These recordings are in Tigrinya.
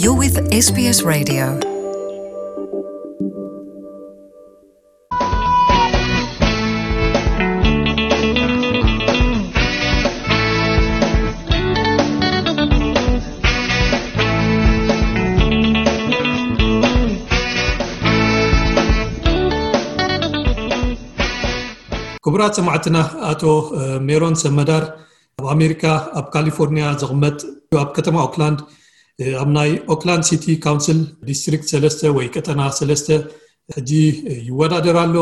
You're with S B S Radio. ክቡራት ሰማዕትና፣ ኣቶ ሜሮን ሰመዳር ኣብ ኣሜሪካ ኣብ ካሊፎርኒያ ዝቕመጥ፣ ኣብ ከተማ ኦክላንድ፣ ኣብ ናይ ኦክላንድ ሲቲ ካውንስል ዲስትሪክት ሰለስተ ወይ ቀጠና ሰለስተ ሕጂ ይወዳደር ኣሎ።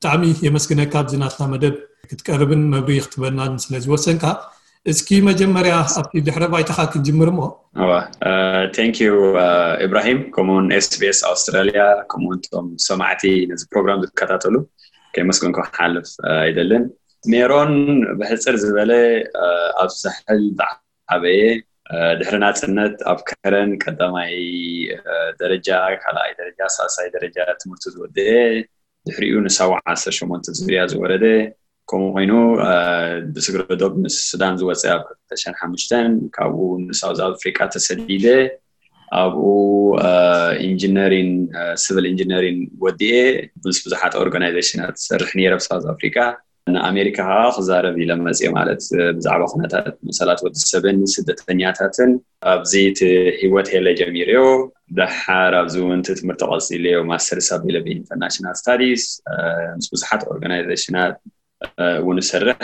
ብጣዕሚ የመስግነካ ኣብዚ ናትና መደብ ክትቀርብን መብርሂ ክትበናን ስለ ዝወሰንካ። እስኪ መጀመርያ ኣብቲ ድሕረ ባይታኻ ክንጅምር እሞ። Thank you ኢብራሂም፣ ከምኡውን S B S ኣውስትራልያ፣ ከምኡውን ቶም ሰማዕቲ ነዚ ፕሮግራም ዝከታተሉ ከየመስገንኩ ክሓልፍ ኣይደልን። ሜሮን ብሕፅር ዝበለ ኣብ ሳሕል ዝዓበየ፣ ድሕሪ ናፅነት ኣብ ከረን ቀዳማይ ደረጃ፣ ካልኣይ ደረጃ፣ ሳልሳይ ደረጃ ትምህርቱ ዝወደአ፣ ድሕሪኡ ንሳዋ ዓሰርተ ሸሞንተ ዙርያ ዝወረደ፣ ከምኡ ኮይኑ ብስግረ ዶብ ምስ ሱዳን ዝወፀ ኣብ ክልተ ሽሕን ሓሙሽተን፣ ካብኡ ንሳውዝ ኣፍሪቃ ተሰዲደ፣ ኣብኡ ኢንጂነሪን፣ ሲቪል ኢንጂነሪን ወዲኤ ምስ ብዙሓት ኦርጋናይዜሽናት ዝሰርሕ ነይረ ኣብ ሳውዝ ኣፍሪቃ። ንኣሜሪካ ከዓ ክዛረብ ኢለ መፅየ፣ ማለት ብዛዕባ ኩነታት መሰላት ወዲ ሰብን ስደተኛታትን ኣብዚ እቲ ህይወት ሄለ ጀሚርዮ። ደሓር ኣብዚ እውን እቲ ትምህርቲ ቀፂለዮ፣ ማስተርስ ኣብ ኢለቨን ኢንተርናሽናል ስታዲስ፣ ምስ ብዙሓት ኦርጋናይዜሽናት እውን እሰርሕ፣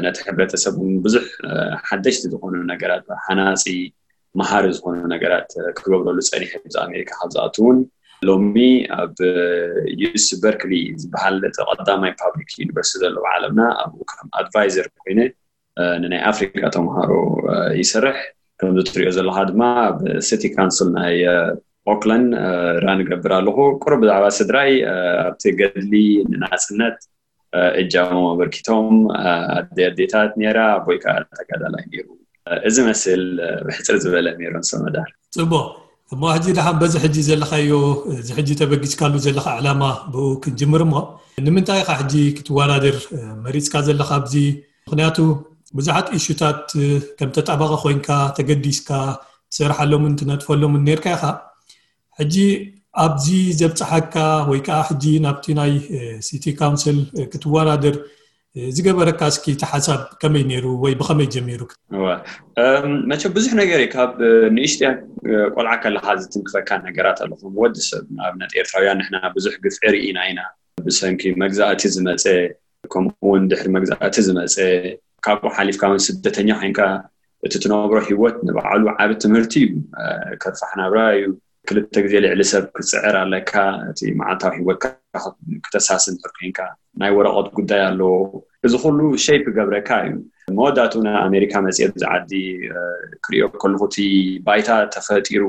ነቲ ሕብረተሰብ እውን ብዙሕ ሓደሽቲ ዝኾኑ ነገራት፣ ሃናፂ መሃሪ ዝኾኑ ነገራት ክገብረሉ ፀኒሐ። ኣብዚ ኣሜሪካ ካብ ዝኣቱ እውን ሎሚ ኣብ ዩስ በርክሊ ዝበሃል እቲ ቀዳማይ ፓብሊክ ዩኒቨርሲቲ ዘለዎ ዓለምና፣ ኣብኡ ከም ኣድቫይዘር ኮይነ ንናይ ኣፍሪካ ተምሃሮ ይሰርሕ። ከምዚ ትሪኦ ዘለካ ድማ ኣብ ሲቲ ካውንስል ናይ ኦክላንድ ራን እገብር ኣለኹ። ቁሩብ ብዛዕባ ስድራይ፣ ኣብቲ ገድሊ ንናፅነት እጃሞም ኣበርኪቶም ኣደ ኣዴታት ነይራ፣ ኣቦይ ከዓ ተጋዳላይ ነይሩ። እዚ መስል ብሕፅር ዝበለ ሜሮን ሰመዳር። ፅቡቕ። እሞ ሕጂ ደሓን በዚ ሕጂ ዘለኻዮ፣ እዚ ሕጂ ተበጊስካሉ ዘለኻ ዕላማ ብኡ ክንጅምር እሞ፣ ንምንታይ ኢኻ ሕጂ ክትወዳደር መሪፅካ ዘለኻ ኣብዚ? ምኽንያቱ ብዙሓት ኢሹታት ከም ተጣባቂ ኮይንካ ተገዲስካ ትሰርሓሎምን ትነጥፈሎምን ነርካ ኢኻ። ሕጂ ኣብዚ ዘብፅሓካ ወይ ከዓ ሕጂ ናብቲ ናይ ሲቲ ካውንስል ክትወዳደር ዝገበረካ እስኪ እቲ ሓሳብ ከመይ ነይሩ ወይ ብኸመይ ጀሚሩ? መቸም ብዙሕ ነገር እዩ። ካብ ንእሽትያ ቆልዓ ከለካ ዝትንክፈካ ነገራት ኣሎ። ከም ወዲ ሰብ ንኣብነት ኤርትራውያን ንሕና ብዙሕ ግፍዒ ርኢና ኢና። ብሰንኪ መግዛእቲ ዝመፀ፣ ከምኡ እውን ድሕሪ መግዛእቲ ዝመፀ፣ ካብኡ ሓሊፍካ እውን ስደተኛ ኮይንካ እቲ ትነብሮ ህይወት ንባዕሉ ዓቢ ትምህርቲ እዩ። ከርፋሕ ናብራ እዩ። ክልተ ግዜ ልዕሊ ሰብ ክትፅዕር ኣለካ። እቲ መዓልታዊ ህይወትካ ክተሳስን ድሕር ኮይንካ ናይ ወረቐት ጉዳይ ኣለዎ። እዚ ኩሉ ሸይፕ ይገብረካ እዩ። መወዳእቱ ናብ ኣሜሪካ መፅየ፣ ኣብዚ ዓዲ ክሪኦ ከለኹ እቲ ባይታ ተፈጢሩ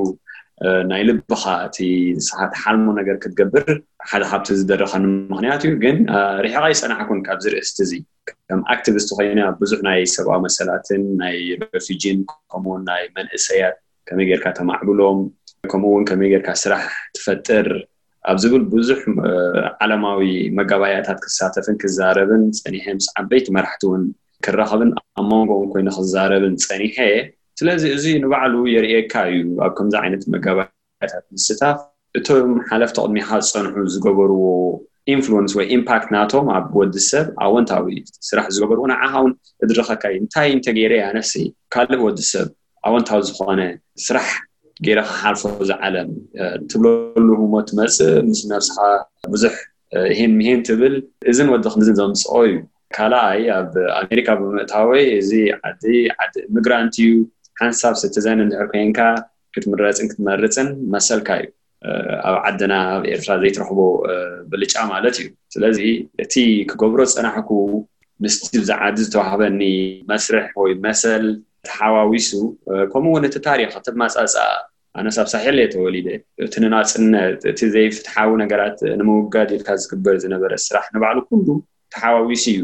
ናይ ልብኻ እቲ ንስኻ ትሓልሞ ነገር ክትገብር ሓደ ካብቲ ዝደረኸኒ ምኽንያት እዩ። ግን ርሒቐ ኣይፀናሕኩን ካብዚ ርእስቲ እዚ። ከም ኣክቲቪስት ኮይነ ኣብ ብዙሕ ናይ ሰብኣዊ መሰላትን ናይ ረፊጂን ከምኡውን ናይ መንእሰያት ከመይ ጌርካ ተማዕብሎም፣ ከምኡ እውን ከመይ ጌርካ ስራሕ ትፈጥር ኣብ ዝብል ብዙሕ ዓለማዊ መጋባያታት ክሳተፍን ክዛረብን ፀኒሐ። ምስ ዓበይቲ መራሕቲ እውን ክራኸብን ኣብ መንጎ እውን ኮይነ ክዛረብን ፀኒሐ። ስለዚ እዚ ንባዕሉ የርእየካ እዩ ኣብ ከምዚ ዓይነት መጋባያታት ምስታፍ። እቶም ሓለፍቲ ቅድሚኻ ዝፀንሑ ዝገበርዎ ኢንፍሉንስ ወይ ኢምፓክት ናቶም ኣብ ወዲ ሰብ ኣወንታዊ ስራሕ ዝገበርዎ ንዓኻ እውን እድረኸካ እዩ። እንታይ እንተገይረ እያ ነፍሲ ካልእ ወዲ ሰብ ኣወንታዊ ዝኾነ ስራሕ ገይረ ክሓልፎ ዝዓለም ትብለሉ ህሞት ትመፅእ፣ ምስ ነብስኻ ብዙሕ ይሄን ምሄን ትብል። እዝን ወዲ ክንዝን ዘምፅኦ እዩ። ካልኣይ ኣብ ኣሜሪካ ብምእታወይ እዚ ዓዲ ዓዲ ኢሚግራንት እዩ። ሓንሳብ ስቲዘን እንድሕር ኮይንካ ክትምረፅን ክትመርፅን መሰልካ እዩ። ኣብ ዓድና ኣብ ኤርትራ ዘይትረኽቦ ብልጫ ማለት እዩ። ስለዚ እቲ ክገብሮ ዝፀናሕኩ ምስቲ ብዚ ዓዲ ዝተዋህበኒ መስርሕ ወይ መሰል ተሓዋዊሱ፣ ከምኡ እውን እቲ ታሪኽ እቲ ማፃፃ ኣነስ ኣብ ሳሕል እየ ተወሊደ። እቲ ንናፅነት፣ እቲ ዘይፍትሓዊ ነገራት ንምውጋድ ኢልካ ዝግበር ዝነበረ ስራሕ ንባዕሉ ኩሉ ተሓዋዊሱ እዩ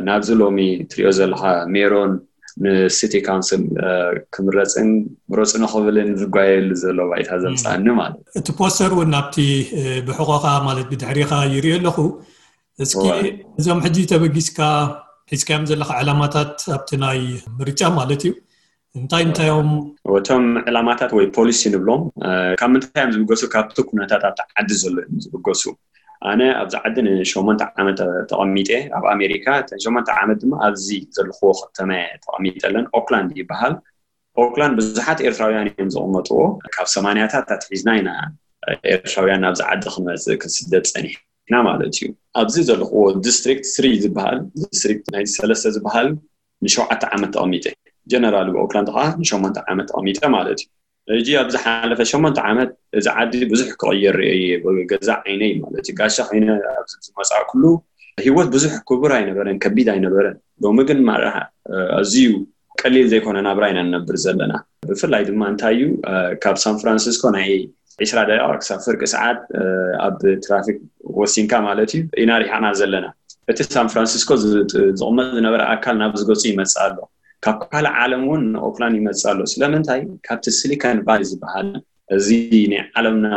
ናብዚ ሎሚ ትሪኦ ዘለኻ ሜሮን ንሲቲ ካውንስል ክምረፅን ምረፁ ንኽብልን ዝጓየሉ ዘሎ ባይታ ዘምፃኒ ማለት እዩ። እቲ ፖስተር እውን ናብቲ ብሕቆኻ ማለት ብድሕሪኻ ይሪኦ ኣለኹ። እስኪ እዞም ሕጂ ተበጊስካ ሒዝካዮም ዘለኻ ዕላማታት ኣብቲ ናይ ምርጫ ማለት እዩ እንታይ እንታይ እዮም? እቶም ዕላማታት ወይ ፖሊሲ ንብሎም ካብ ምንታይ እዮም ዝብገሱ? ካብቲ ኩነታት ኣብቲ ዓዲ ዘሎ እዮም ዝብገሱ። ኣነ ኣብዚ ዓዲ ንሸሞንተ ዓመት ተቐሚጠ፣ ኣብ ኣሜሪካ። እተን ሸሞንተ ዓመት ድማ ኣብዚ ዘለኽዎ ከተማ ተቐሚጠለን። ኦክላንድ ይበሃል። ኦክላንድ ብዙሓት ኤርትራውያን እዮም ዝቕመጥዎ። ካብ ሰማንያታት ኣትሒዝና ኢና ኤርትራውያን ኣብዚ ዓዲ ክንመፅእ ክንስደድ ፀኒሕና ማለት እዩ። ኣብዚ ዘለኽዎ ዲስትሪክት ስሪ ዝበሃል፣ ዲስትሪክት ናይ ሰለስተ ዝበሃል ንሸውዓተ ዓመት ተቐሚጠ። ጀነራል ብኦክላንድ ከዓ ንሸሞንተ ዓመት ተቐሚጠ ማለት እዩ። ሕጂ ኣብ ዝሓለፈ ሸሞንተ ዓመት እዚ ዓዲ ብዙሕ ክቕየር ርእየ ብገዛ ዓይነይ ማለት እዩ። ጋሻ ኮይነ ኣብዚ ዝመፃእኩሉ ህይወት ብዙሕ ክቡር ኣይነበረን፣ ከቢድ ኣይነበረን። ሎሚ ግን ማራ ኣዝዩ ቀሊል ዘይኮነ ናብራ ኢና ንነብር ዘለና። ብፍላይ ድማ እንታይ እዩ፣ ካብ ሳን ፍራንሲስኮ ናይ ዒስራ ደቂቕ ክሳብ ፍርቂ ሰዓት ኣብ ትራፊክ ወሲንካ ማለት እዩ ኢና ሪሓና ዘለና። እቲ ሳን ፍራንሲስኮ ዝቕመጥ ዝነበረ ኣካል ናብ ዝገፁ ይመፅእ ኣሎ። ካብ ካልእ ዓለም እውን ንኦክላንድ ይመፅእ ኣሎ። ስለምንታይ? ካብቲ ሲሊኮን ቫሊ ዝበሃል፣ እዚ ናይ ዓለምና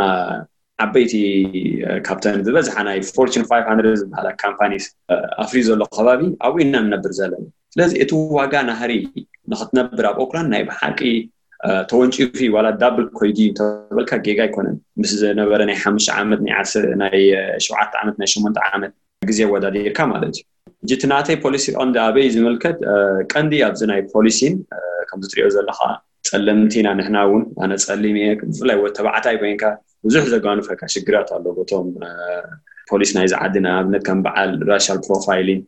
ዓበይቲ ካብተን ዝበዝሓ ናይ ፎርቹን ፋይቭ ሃንድረድ ዝበሃላ ካምፓኒስ ኣፍርዩ ዘሎ ከባቢ ኣብኡ ኢና ንነብር ዘለና። ስለዚ እቲ ዋጋ ናህሪ ንክትነብር ኣብ ኦክላንድ ናይ ብሓቂ ተወንጪፉ ዋላ ዳብል ኮይዲ እንተበልካ ጌጋ ኣይኮነን። ምስ ዝነበረ ናይ ሓሙሽተ ዓመት ናይ ዓሰርተ ናይ ሸውዓተ ዓመት ናይ ሸሞንተ ዓመት ግዜ ወዳዲርካ ማለት እዩ። ሕጂ እቲ ናተይ ፖሊሲ ቀንዲ ኣበይ ዝምልከት? ቀንዲ ኣብዚ ናይ ፖሊሲን ከምዚ ትሪኦ ዘለካ ጸለምቲ ኢና ንሕና እውን፣ ኣነ ጸሊም እየ። ብፍላይ ወዲ ተባዕታይ ኮይንካ ብዙሕ ዘጓንፈካ ሽግራት ኣሎ። በቶም ፖሊስ ናይዚ ዓዲ ንኣብነት ከም በዓል ራሻል ፕሮፋይሊንግ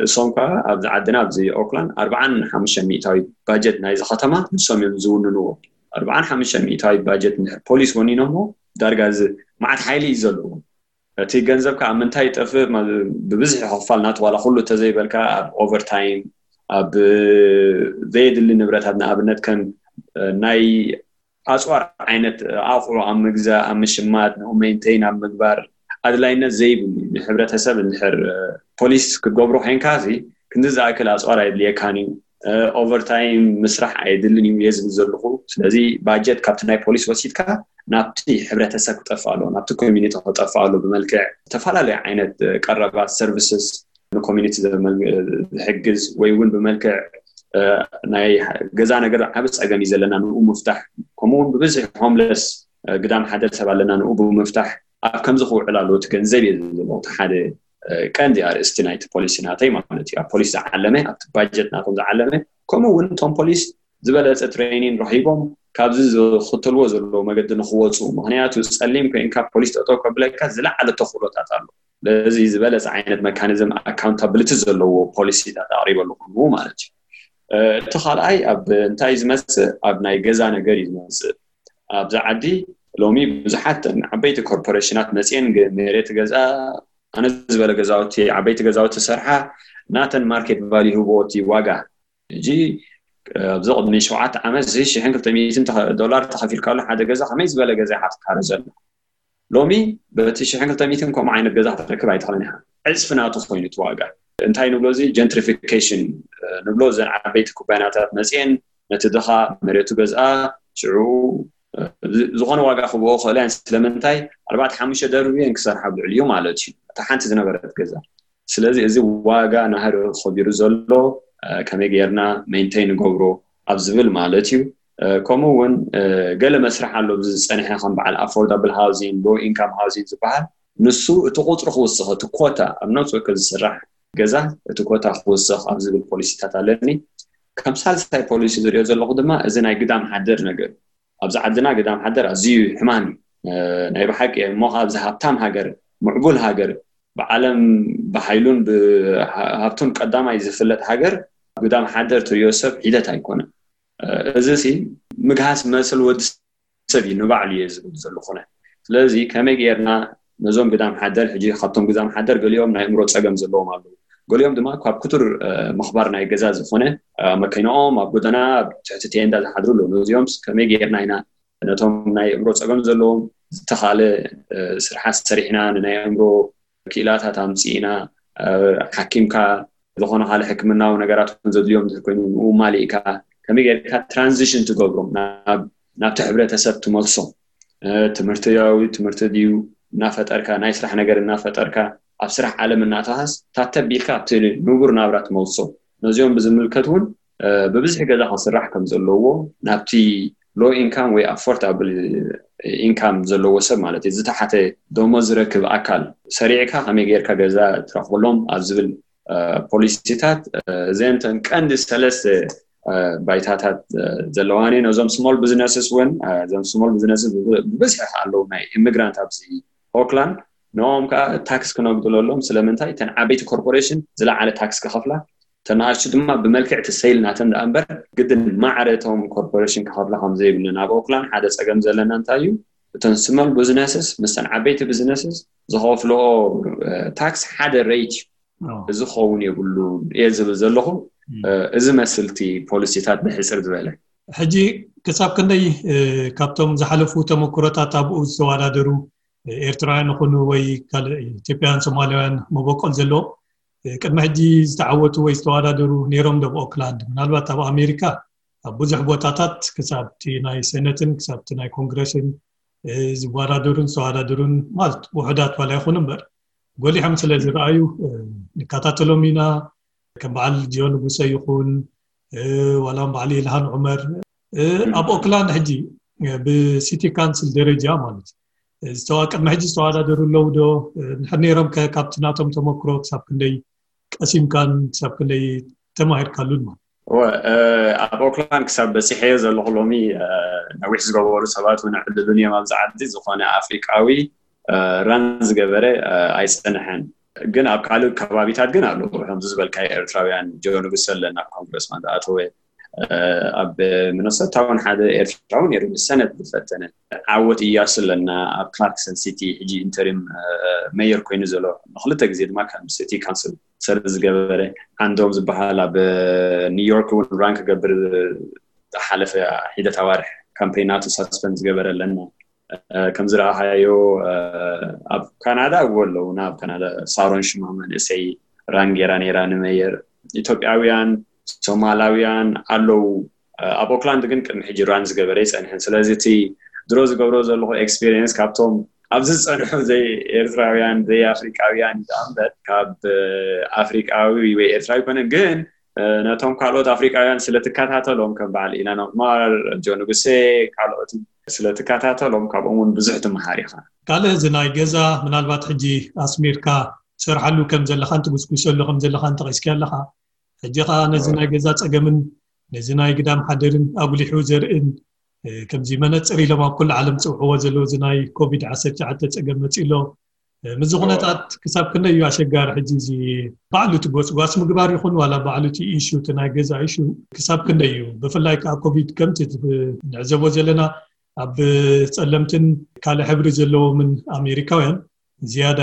እሶም ከዓ ኣብዚ ዓድና ኣብዚ ኦክላንድ ኣርባዓን ሓሙሽተ ሚእታዊት ባጀት ናይዚ ከተማ ንሶም እዮም ዝውንንዎ። ኣርባዓን ሓሙሽተ ሚእታዊት ባጀት እንድሕር ፖሊስ ወኒኖሞ ዳርጋ እዚ መዓት ሓይሊ እዩ ዘለዎ። እቲ ገንዘብ ከዓ ኣብ ምንታይ ይጠፍእ? ብብዝሒ ክፋል ናቱ ዋላ ኩሉ ተዘይበልካ ኣብ ኦቨርታይም፣ ኣብ ዘየድሊ ንብረታት፣ ንኣብነት ከም ናይ ኣፅዋር ዓይነት ኣቑሑ ኣብ ምግዛእ፣ ኣብ ምሽማት፣ ንኡ ሜንቴን ኣብ ምግባር ኣድላይነት ዘይብሉ ንሕብረተሰብ እንድሕር ፖሊስ ክትገብሮ ኮይንካ እዚ ክንዲ ዝኣክል ኣፅዋር ኣየድልየካን እዩ፣ ኦቨርታይም ምስራሕ ኣየድልን እዩ እየ ዝብል ዘለኹ። ስለዚ ባጀት ካብቲ ናይ ፖሊስ ወሲድካ ናብቲ ሕብረተሰብ ክጠፍእ ኣለዎ፣ ናብቲ ኮሚኒቲ ክጠፍእ ኣለዎ። ብመልክዕ ዝተፈላለዩ ዓይነት ቀረባት ሰርቪስስ ንኮሚኒቲ ዝሕግዝ ወይ እውን ብመልክዕ ናይ ገዛ ነገር ዓብ ፀገም እዩ ዘለና ንኡ ምፍታሕ፣ ከምኡ እውን ብብዝሒ ሆምለስ ግዳም ሓደር ሰብ ኣለና ንኡ ብምፍታሕ ኣብ ከምዚ ክውዕል ኣለዎ እቲ ገንዘብ እየ ዝብል እቲ ሓደ ቀንዲ ኣርእስቲ ናይቲ ፖሊሲ ናተይ ማለት እዩ። ኣብ ፖሊስ ዝዓለመ ኣብቲ ባጀት ናቶም ዝዓለመ ከምኡ እውን እቶም ፖሊስ ዝበለፀ ትሬኒን ረኪቦም ካብዚ ዝኽተልዎ ዘለዎ መገዲ ንክወፁ፣ ምክንያቱ ፀሊም ኮይንካ ፖሊስ ጠጠው ከብለካ ዝለዓለ ተኽእሎታት ኣሎ። ለዚ ዝበለፀ ዓይነት መካኒዝም ኣካውንታብሊቲ ዘለዎ ፖሊሲታት ኣቅሪበ ኣለኹ ማለት እዩ። እቲ ካልኣይ ኣብ እንታይ ዝመፅእ? ኣብ ናይ ገዛ ነገር እዩ ዝመፅእ። ኣብዚ ዓዲ ሎሚ ብዙሓት ዓበይቲ ኮርፖሬሽናት መፅየን መሬት ገዛ ኣነ ዝበለ ገዛውቲ ዓበይቲ ገዛውቲ ሰርሓ ናተን ማርኬት ቫልዩ ህቦ እቲ ዋጋ። ሕጂ ኣብዚ ቅድሚ ሸውዓተ ዓመት እዚ ሽሕን ክልተ ሚእትን ዶላር ተኸፊልካሉ ሓደ ገዛ ከመይ ዝበለ ገዛ ኢኻ ትካረ ዘሎ? ሎሚ በቲ ሽሕን ክልተ ሚእትን ከምኡ ዓይነት ገዛ ክትረክብ ኣይትኽእልን ኢኻ። ዕፅፊ ናቱ ኮይኑ እቲ ዋጋ። እንታይ ንብሎ እዚ ጀንትሪፊኬሽን ንብሎ። እዘን ዓበይቲ ኩባንያታት መፅየን ነቲ ድኻ መሬቱ ገዝኣ ሽዑ ዝኾነ ዋጋ ክብኦ ክእለ እየን። ስለምንታይ ኣርባዕተ ሓሙሽተ ደርቢ እየን ክሰርሓ ብልዕል እዩ ማለት እዩ እታ ሓንቲ ዝነበረት ገዛ። ስለዚ እዚ ዋጋ ናህሪ ከቢሩ ዘሎ ከመይ ጌርና ሜንቴን ንገብሮ ኣብ ዝብል ማለት እዩ። ከምኡ እውን ገለ መስርሕ ኣሎ ዝፀንሐ ከም በዓል ኣፎርዳብል ሃውዚንግ፣ ሎ ኢንካም ሃውዚንግ ዝበሃል። ንሱ እቲ ቁፅሪ ክውስኽ፣ እቲ ኮታ ኣብ ነብሲ ወከፍ ዝስራሕ ገዛ እቲ ኮታ ክውስኽ ኣብ ዝብል ፖሊሲታት ኣለኒ። ከም ሳልሳይ ፖሊሲ ዝሪኦ ዘለኹ ድማ እዚ ናይ ግዳም ሓደር ነገር። ኣብዚ ዓድና ግዳም ሓደር ኣዝዩ ሕማም እዩ ናይ ብሓቂ። እሞ ኣብዚ ሃብታም ሃገር፣ ምዕቡል ሃገር፣ ብዓለም ብሓይሉን ብሃብቱን ቀዳማይ ዝፍለጥ ሃገር ግዳም ሓደር ትሪኦ ሰብ ሒደት ኣይኮነን። እዚ ሲ ምግሃስ መሰል ወዲ ሰብ እዩ ንባዕሉ እየ ዝብል ዘለኹነ። ስለዚ ከመይ ጌርና ነዞም ግዳም ሓደር፣ ሕጂ ካብቶም ግዳም ሓደር ገሊኦም ናይ እምሮ ፀገም ዘለዎም ኣለዉ፣ ገሊኦም ድማ ካብ ክቱር ምኽባር ናይ ገዛ ዝኾነ መኪናኦም ኣብ ጎደና ኣብ ትሕቲ ቴንዳ ዝሓድሩ ኣለዉ። ነዚኦም ከመይ ጌርና ኢና ነቶም ናይ እምሮ ፀገም ዘለዎም ዝተኻለ ስርሓት ሰሪሕና ንናይ እምሮ ክኢላታት ኣምፂእና ሓኪምካ ዝኾነ ካልእ ሕክምናዊ ነገራት እውን ዘድልዮም እንድሕር ኮይኑ ንኡ ማሊእካ ከመይ ጌርካ ትራንዚሽን ትገብሮም ናብቲ ሕብረተሰብ ትመልሶም። ትምህርትያዊ ትምህርቲ ድዩ እናፈጠርካ ናይ ስራሕ ነገር እናፈጠርካ ኣብ ስራሕ ዓለም እናተሃስ ታተቢልካ ኣብቲ ንቡር ናብራ ትመልሶ። ነዚኦም ብዝምልከት እውን ብብዝሒ ገዛ ክስራሕ ከም ዘለዎ ናብቲ low income ወይ affordable income ዘለዎ ሰብ ማለት እዩ፣ ዝተሓተ ደሞዝ ዝረክብ ኣካል ሰሪዕካ ከመይ ጌርካ ገዛ ትረኽበሎም ኣብ ዝብል ፖሊሲታት፣ እዘን ተን ቀንዲ ሰለስተ ባይታታት ዘለዋን እየን። እዞም small businesses እውን፣ እዞም small businesses ብብዝሒ ኣለዉ፣ ናይ ኢሚግራንት ኣብዚ ኦክላንድ። ንኦም ከዓ ታክስ ክነጉድለሎም። ስለምንታይ? እተን ዓበይቲ ኮርፖሬሽን ዝለዓለ ታክስ ክኸፍላ፣ ተናኣሽቱ ድማ ብመልክዕ እቲ ሴል ናተን ደኣ እምበር ግድን ማዕረ እቶም ኮርፖሬሽን ክኸፍላ ከም ዘይብለን። ኣብ ኦክላንድ ሓደ ጸገም ዘለና እንታይ እዩ? እተን small businesses ምስተን ዓበይቲ businesses ዝኸፍልኦ ታክስ ሓደ ሬት እዩ። እዚ ክኸውን የብሉን እየ ዝብል ዘለኹ። እዚ መስልቲ ፖሊሲታት ብሕፅር ዝበለ። ሕጂ ክሳብ ክንደይ ካብቶም ዝሓለፉ ተመክሮታት ኣብኡ ዝተወዳደሩ ኤርትራውያን ይኹኑ ወይ ካልእ ኢትዮጵያውያን ሶማሊያውያን መበቆል ዘለዎ ቅድሚ ሕጂ ዝተዓወቱ ወይ ዝተወዳደሩ ነይሮም ዶ ኣብ ኦክላንድ? ምናልባት ኣብ ኣሜሪካ ኣብ ብዙሕ ቦታታት ክሳብቲ ናይ ሰነትን ክሳብቲ ናይ ኮንግረስን ዝወዳደሩን ዝተወዳደሩን ማለት ውሑዳት ዋላ ይኹኑ እምበር ጎሊሖም ስለ ዝረኣዩ ንከታተሎም ኢና። ከም በዓል ጆን ንጉሰ ይኹን ዋላ በዓል ኢልሃን ዑመር ኣብ ኦክላንድ ሕጂ ብሲቲ ካንስል ደረጃ ማለት ዝተዋ ቅድሚ ሕጂ ዝተወዳደሩ ኣለዉ ዶ? እንድሕር ነይሮም ከ ካብቲ ናቶም ተመክሮ ክሳብ ክንደይ ቀሲምካን ክሳብ ክንደይ ተማሂርካሉን ማለት? እወ፣ ኣብ ኦክላንድ ክሳብ በፂሐዮ ዘለኹ ሎሚ ነዊሕ ዝገበሩ ሰባት እውን ዕድሉን እዮም ኣብዚ ዓዲ። ዝኾነ ኣፍሪቃዊ ራን ዝገበረ ኣይፀንሐን። ግን ኣብ ካልእ ከባቢታት ግን ኣለዉ። ከምዚ ዝበልካዮ ኤርትራውያን ጆን ንጉሰ ኣለና ኮንግረስማን ዝኣተወ ኣብ ሚነሶታ እውን ሓደ ኤርትራዊ ነይሩ ብሰነድ ዝፈተነ ዓወት እያሱ ኣለና ኣብ ክላርክሰን ሲቲ ሕጂ ኢንተሪም መየር ኮይኑ ዘሎ ንክልተ ግዜ ድማ ከም ሲቲ ካውንስል ሰር ዝገበረ ዓንዶም ዝበሃል ኣብ ኒውዮርክ እውን ራን ክገብር ዝሓለፈ ሒደት ኣዋርሕ ካምፔን ናቱ ሳስፐንድ ዝገበረ ኣለና። ከም ዝረኣኻዮ ኣብ ካናዳ እዎ ኣለውና ኣብ ካናዳ ሳሮን ሽማ መንእሰይ ራን ጌራ ነይራ ንመየር። ኢትዮጵያውያን ሶማላውያን ኣለዉ። ኣብ ኦክላንድ ግን ቅድሚ ሕጂ ራን ዝገበረ ይጸንሐን ስለዚ እቲ ድሮ ዝገብሮ ዘለኹ ኤክስፒሪየንስ ካብቶም ኣብዚ ዝጸንሑ ዘይ ኤርትራውያን ዘይ ኣፍሪቃውያን እዩ እምበር ካብ ኣፍሪቃዊ ወይ ኤርትራዊ ኮነ ግን ነቶም ካልኦት ኣፍሪቃውያን ስለ ትከታተሎም ከም በዓል ኢላን ዑማር ጆ ንጉሴ ካልኦት ስለ ትከታተሎም ካብኦም እውን ብዙሕ ትመሃር ኢኻ። ካልእ እዚ ናይ ገዛ ምናልባት ሕጂ ኣስሚርካ ትሰርሓሉ ከም ዘለኻን ትጉስጉሰሉ ከም ዘለኻን ጠቒስካ ኣለኻ። ሕጂ ከዓ ነዚ ናይ ገዛ ፀገምን ነዚ ናይ ግዳም ሓደርን ኣጉሊሑ ዘርእን ከምዚ መነፅር ኢሎም ኣብ ኩሉ ዓለም ዝፅውዕዎ ዘለዉ እዚ ናይ ኮቪድ ዓሰርተ ትሽዓተ ፀገም መፂኡ ኣሎ። ምዚ ኩነታት ክሳብ ክንደይ እዩ ኣሸጋሪ ሕጂ እዚ ባዕሉ እቲ ጎስጓስ ምግባር ይኹን ዋላ ባዕሉ እቲ ኢሹ እቲ ናይ ገዛ ኢሹ ክሳብ ክንደይ እዩ ብፍላይ ከዓ ኮቪድ ከምቲ ንዕዘቦ ዘለና ኣብ ፀለምትን ካልእ ሕብሪ ዘለዎምን ኣሜሪካውያን ዝያዳ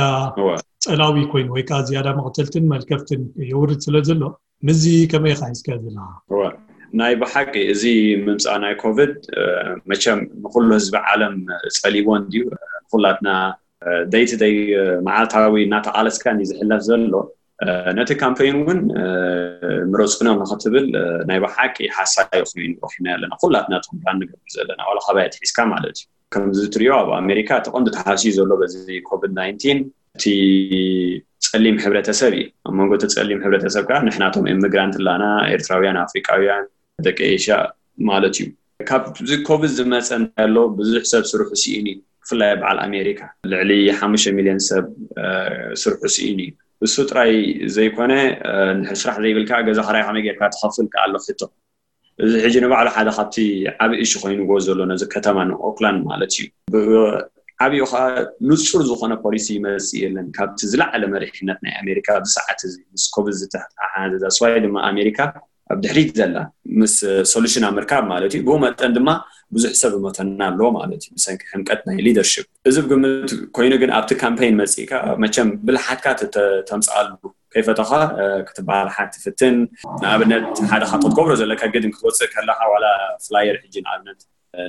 ፀላዊ ኮይኑ ወይ ከዓ ዝያዳ መቕተልትን መልከፍትን የውርድ ስለ ዘሎ ምዚ ከመይ ኢኻ ሒዝካ ዘለኻ? ናይ ብሓቂ እዚ ምምፃእ ናይ ኮቪድ መቸም ንኩሉ ህዝቢ ዓለም ፀሊቦ እንድዩ። ንኩላትና ደይ ቱ ደይ መዓልታዊ እናተቓለስካ እንዲ ዝሕለፍ ዘሎ ነቲ ካምፔን እውን ምረፁና ንክትብል ናይ ብሓቂ ሓሳይ ኮይኑ ረኪብና ኣለና ኩላትና ቶም ራን ንገብር ዘለና ዋላ ካባይ ኣትሒዝካ ማለት እዩ። ከምዚ ትሪኦ ኣብ ኣሜሪካ እቲ ቀንዲ ተሃስዩ ዘሎ በዚ ኮቪድ ናይንቲን እቲ ፀሊም ሕብረተሰብ እዩ። ኣብ መንጎ እቲ ፀሊም ሕብረተሰብ ከዓ ንሕናቶም ኢሚግራንት ላና ኤርትራውያን ኣፍሪቃውያን ደቂ ኤሽያ ማለት እዩ። ካብዚ ኮቪድ ዝመፀ እንታይ ኣሎ ብዙሕ ሰብ ስርሑ ስኢኑ እዩ። ብፍላይ በዓል ኣሜሪካ ልዕሊ ሓሙሽተ ሚልዮን ሰብ ስርሑ ስኢኑ እዩ። እሱ ጥራይ ዘይኮነ ስራሕ ዘይብልካ ገዛ ክራይ ከመይ ጌርካ ትኸፍል ከዓ ኣሎ ሕቶ። እዚ ሕጂ ንባዕሉ ሓደ ካብቲ ዓብ እሹ ኮይንዎ ዘሎ ነዚ ከተማ ንኦክላንድ ማለት እዩ። ዓብኡ ከዓ ንፁር ዝኾነ ፖሊሲ ይመፅእ የለን ካብቲ ዝለዓለ መሪሕነት ናይ ኣሜሪካ ኣብዚ ሰዓት እዚ ምስ ኮቪድ ዝተሓሓዘ that's why ድማ ኣሜሪካ ኣብ ድሕሪት ዘላ ምስ ሶሉሽን ኣብ ምርካብ ማለት እዩ። ብኡ መጠን ድማ ብዙሕ ሰብ እመተና ኣለዎ ማለት እዩ ብሰንኪ ሕምቀት ናይ ሊደርሽፕ። እዚ ብግምት ኮይኑ ግን ኣብቲ ካምፔን መፂእካ መቸም ብልሓትካ ተምፅኣሉ ከይፈተኻ ክትበሃል ሓንቲ ፍትን ንኣብነት ሓደ ካብ ክትገብሮ ዘለካ ግድን ክትወፅእ ከለካ ዋላ ፍላየር ሕጂ ንኣብነት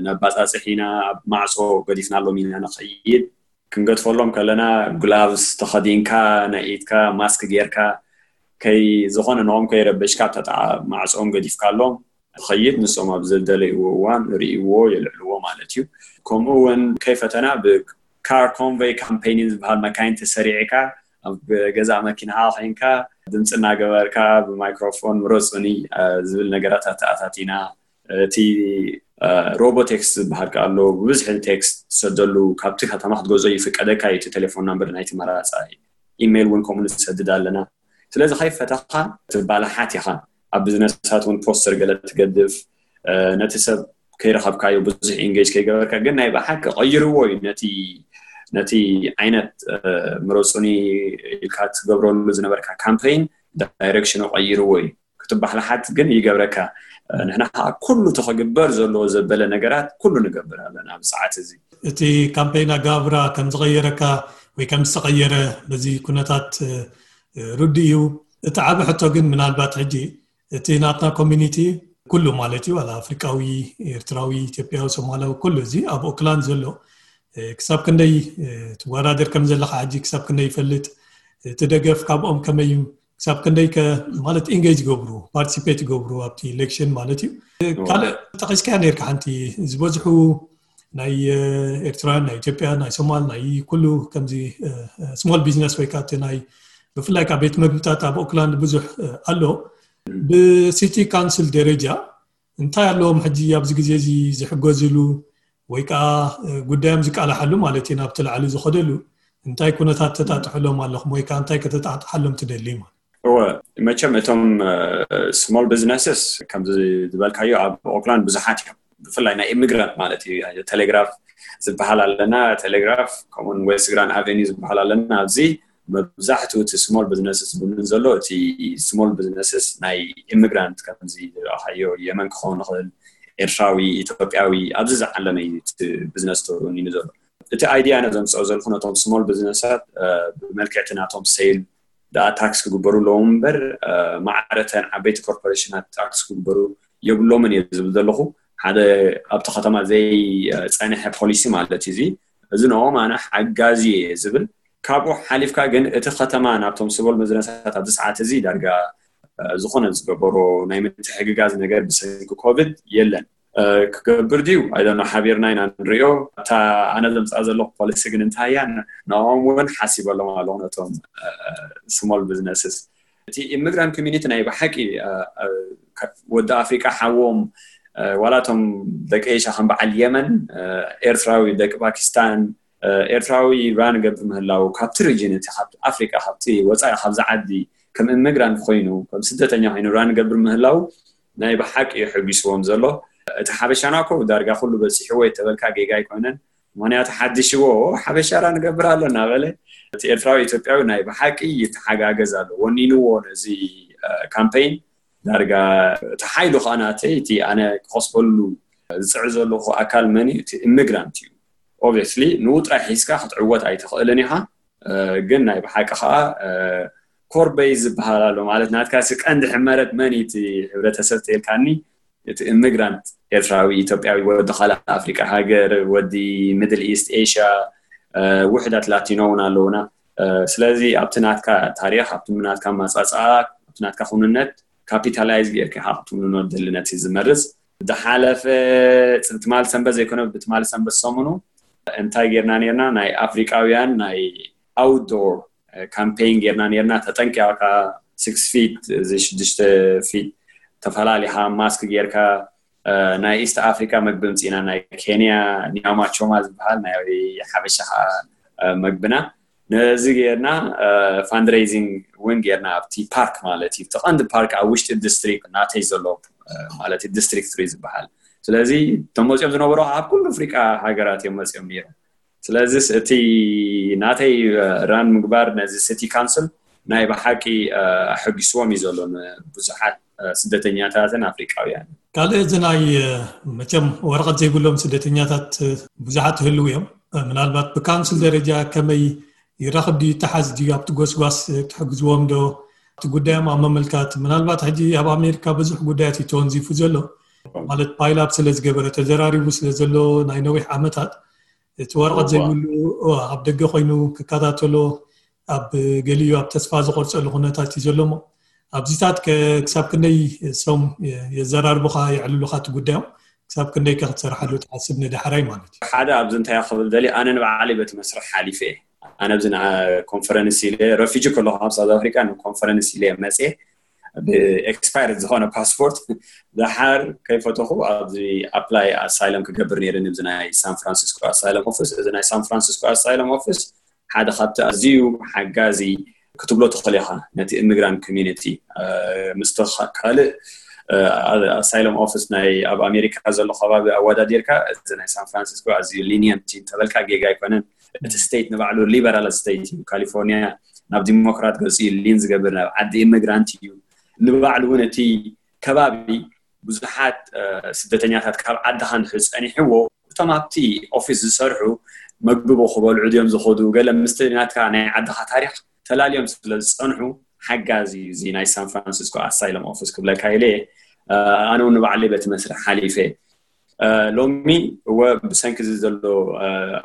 ነባፃፅሕ ኢና ኣብ ማዕፆ ገዲፍናሎም ኢና ንኸይድ ክንገድፈሎም ከለና ግላቭስ ተኸዲንካ ናይ ኢድካ ማስክ ጌርካ ከይ ዝኾነ ንኦም ከይረበሽካ ተጣ ማዕፆም ገዲፍካሎም ትኸይድ ንሶም ኣብ ዝደለይዎ እዋን ርእይዎ የልዕልዎ ማለት እዩ። ከምኡ እውን ከይፈተና ብካር ኮንቨይ ካምፔይን ዝበሃል መካይን ተሰሪዕካ ኣብ ገዛ መኪናኻ ኮይንካ ድምፂ እናገበርካ ብማይክሮፎን ምረፁኒ ዝብል ነገራት ኣተኣታቲና። እቲ ሮቦቴክስ ዝበሃል ከኣ ኣሎ፣ ብብዝሒ ቴክስት ትሰደሉ፣ ካብቲ ከተማ ክትገዝኦ ይፍቀደካ እዩ። እቲ ቴሌፎን ናምበር ናይቲ መራፃ ኢሜይል እውን ከምኡ ንሰድድ ኣለና። ስለዚ ከይፈተኻ ትባላሓት ኢኻ። ኣብ ቢዝነሳት እውን ፖስተር ገለ ትገድፍ፣ ነቲ ሰብ ከይረኸብካዮ ብዙሕ ኢንጌጅ ከይገበርካ፣ ግን ናይ ብሓቂ ቀይርዎ እዩ። ነቲ ነቲ ዓይነት ምረፁኒ ኢልካ ትገብረሉ ዝነበርካ ካምፔይን ዳይሬክሽኑ ቀይርዎ እዩ። ክትባሕልሓት ግን ይገብረካ። ንሕና ከዓ ኩሉ ተኸግበር ዘለዎ ዘበለ ነገራት ኩሉ ንገብር ኣለና ኣብዚ ሰዓት እዚ። እቲ ካምፔይን ኣጋብራ ከም ዝቐየረካ ወይ ከም ዝተቐየረ በዚ ኩነታት ርዱ እዩ። እቲ ዓቢ ሕቶ ግን ምናልባት ሕጂ እቲ ናትና ኮሚኒቲ ኩሉ ማለት እዩ፣ ዋላ ኣፍሪቃዊ፣ ኤርትራዊ፣ ኢትዮጵያዊ፣ ሶማላዊ፣ ኩሉ እዚ ኣብ ኦክላንድ ዘሎ ክሳብ ክንደይ ትወዳደር ከም ዘለካ ሕጂ ክሳብ ክንደይ ይፈልጥ፣ እቲ ደገፍ ካብኦም ከመይ እዩ፣ ክሳብ ክንደይ ከ ማለት ኢንጌጅ ይገብሩ፣ ፓርቲሲፔት ይገብሩ ኣብቲ ኢሌክሽን ማለት እዩ። ካልእ ጠቂስካያ ነርካ ሓንቲ ዝበዝሑ ናይ ኤርትራውያን፣ ናይ ኢትዮጵያ፣ ናይ ሶማል፣ ናይ ኩሉ ከምዚ ስሞል ቢዝነስ ወይ ከዓ ናይ ብፍላይ ከዓ ቤት መግብታት ኣብ ኦክላንድ ብዙሕ ኣሎ። ብሲቲ ካውንስል ደረጃ እንታይ ኣለዎም ሕጂ ኣብዚ ግዜ እዚ ዝሕገዝሉ ወይ ከዓ ጉዳዮም ዝቃላሓሉ ማለት እዩ ናብቲ ላዕሊ ዝኸደሉ እንታይ ኩነታት ተጣጥሕሎም ኣለኹም ወይ ከዓ እንታይ ከተጣጥሓሎም ትደሊ ማለት? እወ፣ መቸም እቶም ስሞል ቢዝነስስ ከምዚ ዝበልካዮ ኣብ ኦክላንድ ብዙሓት እዮም። ብፍላይ ናይ ኢሚግራንት ማለት እዩ። ቴሌግራፍ ዝበሃል ኣለና፣ ቴሌግራፍ ከምኡን ዌስት ግራንድ ኣቨኒ ዝበሃል ኣለና። ኣብዚ መብዛሕትኡ እቲ ስሞል ቢዝነስስ ዝብሉን ዘሎ እቲ ስሞል ቢዝነስስ ናይ ኢሚግራንት ከምዚ ዝረኣኻዮ የመን ክኸውን ይኽእል፣ ኤርትራዊ፣ ኢትዮጵያዊ ኣብዚ ዝዓለመ እዩ እቲ ቢዝነስ ተወኒኑ ዘሎ። እቲ ኣይድያ ነዘምፅኦ ዘለኹ ነቶም ስሞል ቢዝነሳት ብመልክዕ እቲ ናቶም ሴል ደኣ ታክስ ክግበሩ ኣለዎም እምበር ማዕረተን ዓበይቲ ኮርፖሬሽናት ታክስ ክግበሩ የብሎምን እየ ዝብል ዘለኹ። ሓደ ኣብቲ ከተማ ዘይፀንሐ ፖሊሲ ማለት እዩ እዚ። እዚ ንኦም ኣነ ሓጋዚ እየ ዝብል። ካብኡ ሓሊፍካ ግን እቲ ከተማ ናብቶም ስሞል ቢዝነሳት ኣብዚ ሰዓት እዚ ዳርጋ ዝኾነ ዝገበሮ ናይ ምትሕግጋዝ ነገር ብሰንኪ ኮቪድ የለን። ክገብር ድዩ ኣይደኖ ሓቢርና ኢና ንሪኦ። እታ ኣነ ዘምፅኣ ዘለኹ ፖሊሲ ግን እንታይ እያ? ንኦም እውን ሓሲበሎም ኣለኹ ነቶም ስሞል ቢዝነስስ። እቲ ኢሚግራንት ኮሚኒቲ ናይ ብሓቂ ወዲ ኣፍሪቃ ሓዎም ዋላ እቶም ደቂ ኤሽያ ከም በዓል የመን፣ ኤርትራዊ፣ ደቂ ፓኪስታን፣ ኤርትራዊ ራን ገብር ምህላው ካብቲ ሪጅን እቲ ካብቲ ኣፍሪቃ ካብቲ ወፃኢ ካብዚ ዓዲ ከም ኢሚግራንት ኮይኑ ከም ስደተኛ ኮይኑ ራን ገብር ምህላው ናይ ብሓቂ እዩ ሕጒስዎም ዘሎ። እቲ ሓበሻና እኮ ዳርጋ ኩሉ በፂሕዎ የተበልካ ጌጋ ኣይኮነን። ምክንያቱ ሓድሽዎ ሓበሻ ራን ገብር ኣሎ እናበለ እቲ ኤርትራዊ ኢትዮጵያዊ ናይ ብሓቂ ይተሓጋገዝ ኣሎ። ወኒንዎ ነዚ ካምፔይን ዳርጋ እቲ ሓይሉ ከዓ ናተይ እቲ ኣነ ክኸስበሉ ዝፅዕር ዘለኹ ኣካል መን እዩ? እቲ ኢሚግራንት እዩ። ኦብቪየስሊ ንኡ ጥራይ ሒዝካ ክትዕወት ኣይትኽእልን ኢኻ። ግን ናይ ብሓቂ ከዓ ኮር ቤዝ ዝበሃል ኣሎ ማለት ናትካ ሲ ቀንዲ ሕመረት መን እዩ? እቲ ሕብረተሰብ ተልካኒ እቲ ኢሚግራንት ኤርትራዊ፣ ኢትዮጵያዊ፣ ወዲ ካልእ ኣፍሪቃ ሃገር፣ ወዲ ሚድል ኢስት ኤሽያ፣ ውሕዳት ላቲኖ እውን ኣለውና። ስለዚ ኣብቲ ናትካ ታሪክ ኣብቲ ናትካ ማፃፃኣ ኣብቲ ናትካ ኩንነት ካፒታላይዝ ጌርካ ኢኻ ክትውንኖ ትደሊ ነቲ ዝመርፅ። ዝሓለፈ ትማሊ ሰንበት ዘይኮነ ብትማሊ ሰንበት ሰሙኑ እንታይ ጌርና ኔርና ናይ ኣፍሪቃውያን ናይ ኣውትዶር ካምፔይን ጌርና ኔርና። ተጠንቂቕካ ስክስ ፊት እዚ ሽዱሽተ ፊት ተፈላሊኻ ማስክ ጌርካ ናይ ኢስት ኣፍሪካ መግቢ ምፅኢና ናይ ኬንያ ኒያማ ቾማ ዝበሃል ናይ ሓበሻ ከዓ መግብና ነዚ ጌርና ፋንድሬዚንግ እውን ጌርና ኣብቲ ፓርክ ማለት እዩ። እቲ ቀንዲ ፓርክ ኣብ ውሽጢ ዲስትሪክት ናተይ ዘሎ ማለት እዩ ዲስትሪክት ትሪ ዝበሃል። ስለዚ እቶም መፅኦም ዝነበሩ ኣብ ኩሉ ኣፍሪቃ ሃገራት እዮም መፅኦም ነይሮም። ስለዚ እቲ ናተይ ራን ምግባር ነዚ ሲቲ ካውንስል ናይ ብሓቂ ኣሐጒስዎም እዩ ዘሎ ንብዙሓት ስደተኛታትን ኣፍሪቃውያን። ካልእ እዚ ናይ መቸም ወረቐት ዘይብሎም ስደተኛታት ብዙሓት ይህልው እዮም። ምናልባት ብካውንስል ደረጃ ከመይ ይራኽብ ድዩ ይተሓዝ ድዩ ኣብቲ ጎስጓስ ትሕግዝዎም ዶ? እቲ ጉዳዮም ኣብ መመልካት ምናልባት ሕጂ ኣብ ኣሜሪካ ብዙሕ ጉዳያት እዩ ተወንዚፉ ዘሎ ማለት ፓይላፕ ስለ ዝገበረ ተዘራሪቡ ስለ ዘሎ ናይ ነዊሕ ዓመታት እቲ ወረቐት ዘይብሉ ኣብ ደገ ኮይኑ ክከታተሎ ኣብ ገሊኡ ኣብ ተስፋ ዝቆርፀሉ ኩነታት እዩ ዘሎ እሞ ኣብዚታት ክሳብ ክንደይ ሰም የዘራርቡኻ የዕልሉኻ እቲ ጉዳዮም ክሳብ ክንደይ ከ ክትሰርሓሉ ትሓስብ ንዳሕራይ ማለት እዩ? ሓደ ኣብዚ እንታይ ክብል ደሊ ኣነ ንባዕለይ በቲ መስርሕ ሓሊፈ እየ። ኣነ ኣብዚ ኮንፈረንስ ኢለ ረፊጂ ከለኹ ኣብ ሳውዝ ኣፍሪካ ንኮንፈረንስ ኢለ መፅየ ብኤክስፓየርድ ዝኾነ ፓስፖርት ደሓር ከይፈተኹ ኣብዚ ኣፕላይ ኣሳይለም ክገብር ነይረ ንብዚ ናይ ሳን ፍራንሲስኮ ኣሳይለም ኦፊስ። እዚ ናይ ሳን ፍራንሲስኮ ኣሳይለም ኦፊስ ሓደ ካብቲ ኣዝዩ ሓጋዚ ክትብሎ ትኽእል ኢኻ ነቲ ኢሚግራንት ኮሚኒቲ ምስ ካልእ ኣሳይለም ኦፊስ ናይ ኣብ ኣሜሪካ ዘሎ ከባቢ ኣወዳዲርካ እዚ ናይ ሳን ፍራንሲስኮ ኣዝዩ ሊኒየንት እንተበልካ ጌጋ ኣይኮነን። እቲ ስቴት ንባዕሉ ሊበራል ስቴት እዩ። ካሊፎርኒያ ናብ ዲሞክራት ገፂ ሊን ዝገብር ናብ ዓዲ ኢሚግራንት እዩ። ንባዕሉ እውን እቲ ከባቢ ብዙሓት ስደተኛታት ካብ ዓድኻ እንድሕር ፀኒሕዎ እቶም ኣብቲ ኦፊስ ዝሰርሑ መግቢ ክበልዑ ድዮም ዝኸዱ ገለ ምስቲ ናትካ ናይ ዓድኻ ታሪክ ተላልዮም ስለ ዝፀንሑ ሓጋዚ እዩ እዚ ናይ ሳን ፍራንሲስኮ ኣሳይለም ኦፊስ ክብለካ ኢለ። ኣነ እውን ንባዕለይ በቲ መስርሕ ሓሊፈ። ሎሚ እወ ብሰንኪ እዚ ዘሎ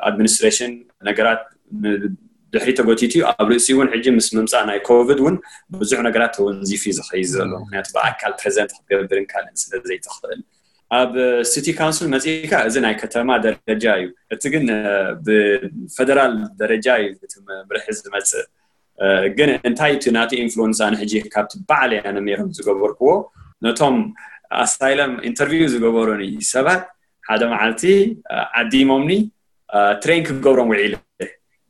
ኣድሚኒስትሬሽን ነገራት ድሕሪ ተጎቲቱ እዩ። ኣብ ርእሲ እውን ሕጂ ምስ ምምፃእ ናይ ኮቪድ እውን ብዙሕ ነገራት ተወንዚፊ ዝኸይድ ዘሎ ምክንያቱ ብኣካል ፕሬዘንት ክትገብርን ካልእን ስለ ዘይትኽእል ኣብ ሲቲ ካውንስል መፅእካ እዚ ናይ ከተማ ደረጃ እዩ። እቲ ግን ብፌደራል ደረጃ እዩ እቲ መምርሒ ዝመፅእ። ግን እንታይ እቲ ናቲ ኢንፍሉንስ ኣነ ሕጂ ካብቲ ባዕለይ ኣነ ሜሮን ዝገበርክዎ ነቶም ኣሳይለም ኢንተርቪው ዝገበሩኒ ሰባት ሓደ መዓልቲ ዓዲሞምኒ ትሬን ክገብሮም ውዒለ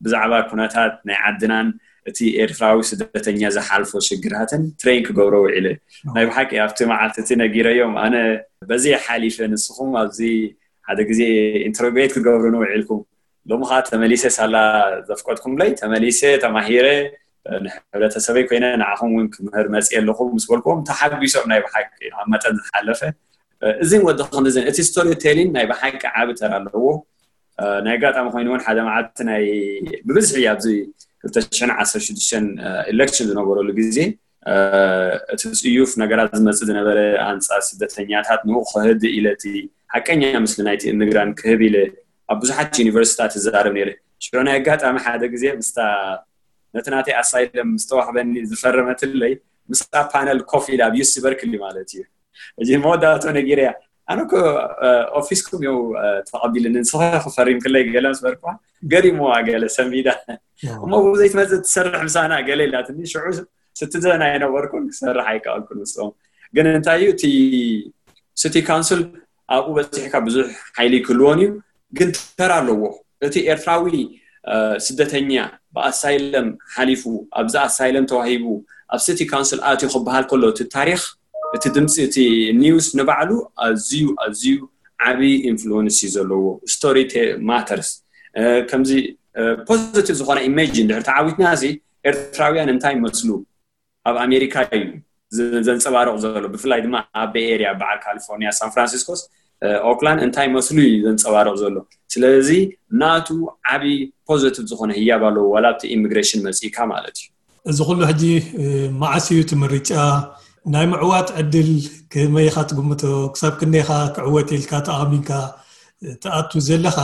ብዛዕባ ኩነታት ናይ ዓድናን እቲ ኤርትራዊ ስደተኛ ዝሓልፎ ሽግራትን ትሬን ክገብሮ ውዒለ። ናይ ብሓቂ ኣብቲ መዓልቲ እቲ ነጊረዮም ኣነ በዚ ሓሊፈ ንስኹም ኣብዚ ሓደ ግዜ ኢንተሮጌት ክገብሩኒ ውዒልኩም። ሎሚ ከዓ ተመሊሰ ሳላ ዘፍቀድኩምለይ ተመሊሰ ተማሂረ ንሕብረተሰበይ ኮይነ ንዓኹም እውን ክምህር መፅየ ኣለኹ ምስ በልኩዎም ተሓጒሶም ናይ ብሓቂ ኣብ መጠን ዝሓለፈ እዚን ወዲ ክንድዝን እቲ ስቶሪ ቴሊን ናይ ብሓቂ ዓቢ ተራ ኣለዎ። ናይ ኣጋጣሚ ኮይኑ እውን ሓደ መዓልቲ ናይ ብብዝሒ ኣብዚ ክልተ ሽሕን ዓሰርተ ሽዱሽተን ኢሌክሽን ዝነበረሉ ግዜ እቲ ፅዩፍ ነገራት ዝመፅእ ዝነበረ ኣንፃር ስደተኛታት ንኡ ክህድ ኢለ እቲ ሓቀኛ ምስሊ ናይቲ ኢሚግራንት ክህብ ኢለ ኣብ ብዙሓት ዩኒቨርሲታት እዛረብ ነይረ። ሽዑ ናይ ኣጋጣሚ ሓደ ግዜ ምስታ ነቲ ናተይ ኣሳይለም ዝተዋህበኒ ዝፈረመትለይ ምስታ ፓነል ኮፍ ኢለ ኣብ ዩሲ በርክሊ ማለት እዩ እዚ መወዳእቶ ነጊረያ ኣነ እኮ ኦፊስኩም እዩ ተቐቢልኒ ንስኻ ክፈሪም ክለይ ገለ ምስ በልኩዋ ገሪምዋ ገለ ሰንቢዳ እሞ ብዘይትመፅእ ትሰርሕ ምሳና ገለ ኢላትኒ ሽዑ ስትዘን ኣይነበርኩን ክሰርሕ ኣይከኣልኩን ምስኦም ግን እንታይ እዩ እቲ ሲቲ ካውንስል ኣብኡ በፂሕካ ብዙሕ ሓይሊ ክህልዎን እዩ ግን ተራ ኣለዎ እቲ ኤርትራዊ ስደተኛ ብኣሳይለም ሓሊፉ ኣብዚ ኣሳይለም ተዋሂቡ ኣብ ሲቲ ካውንስል ኣትዩ ክበሃል ከሎ እቲ ታሪክ እቲ ድምፂ እቲ ኒውስ ንባዕሉ ኣዝዩ ኣዝዩ ዓብዪ ኢንፍሉወንስ እዩ ዘለዎ ስቶሪ ማተርስ ከምዚ ፖዚቲቭ ዝኾነ ኢሜጅ እንድሕር ተዓዊትና እዚ ኤርትራውያን እንታይ ይመስሉ ኣብ ኣሜሪካ እዩ ዘንፀባርቕ ዘሎ ብፍላይ ድማ ኣብ ቤይ ኤርያ በዓል ካሊፎርኒያ ሳን ፍራንሲስኮስ ኦክላንድ እንታይ መስሉ እዩ ዘንፀባርቕ ዘሎ ስለዚ ናቱ ዓብዪ ፖዘቲቭ ዝኾነ ህያብ ኣለዎ ዋላ ኣብቲ ኢሚግሬሽን መፂእካ ማለት እዩ እዚ ኩሉ ሕጂ መዓስ እዩ እቲ ምርጫ ናይ ምዕዋት ዕድል ከመይ ኢኻ ትግምቶ ክሳብ ክንደይኻ ክዕወት ኢልካ ተኣሚንካ ትኣቱ ዘለኻ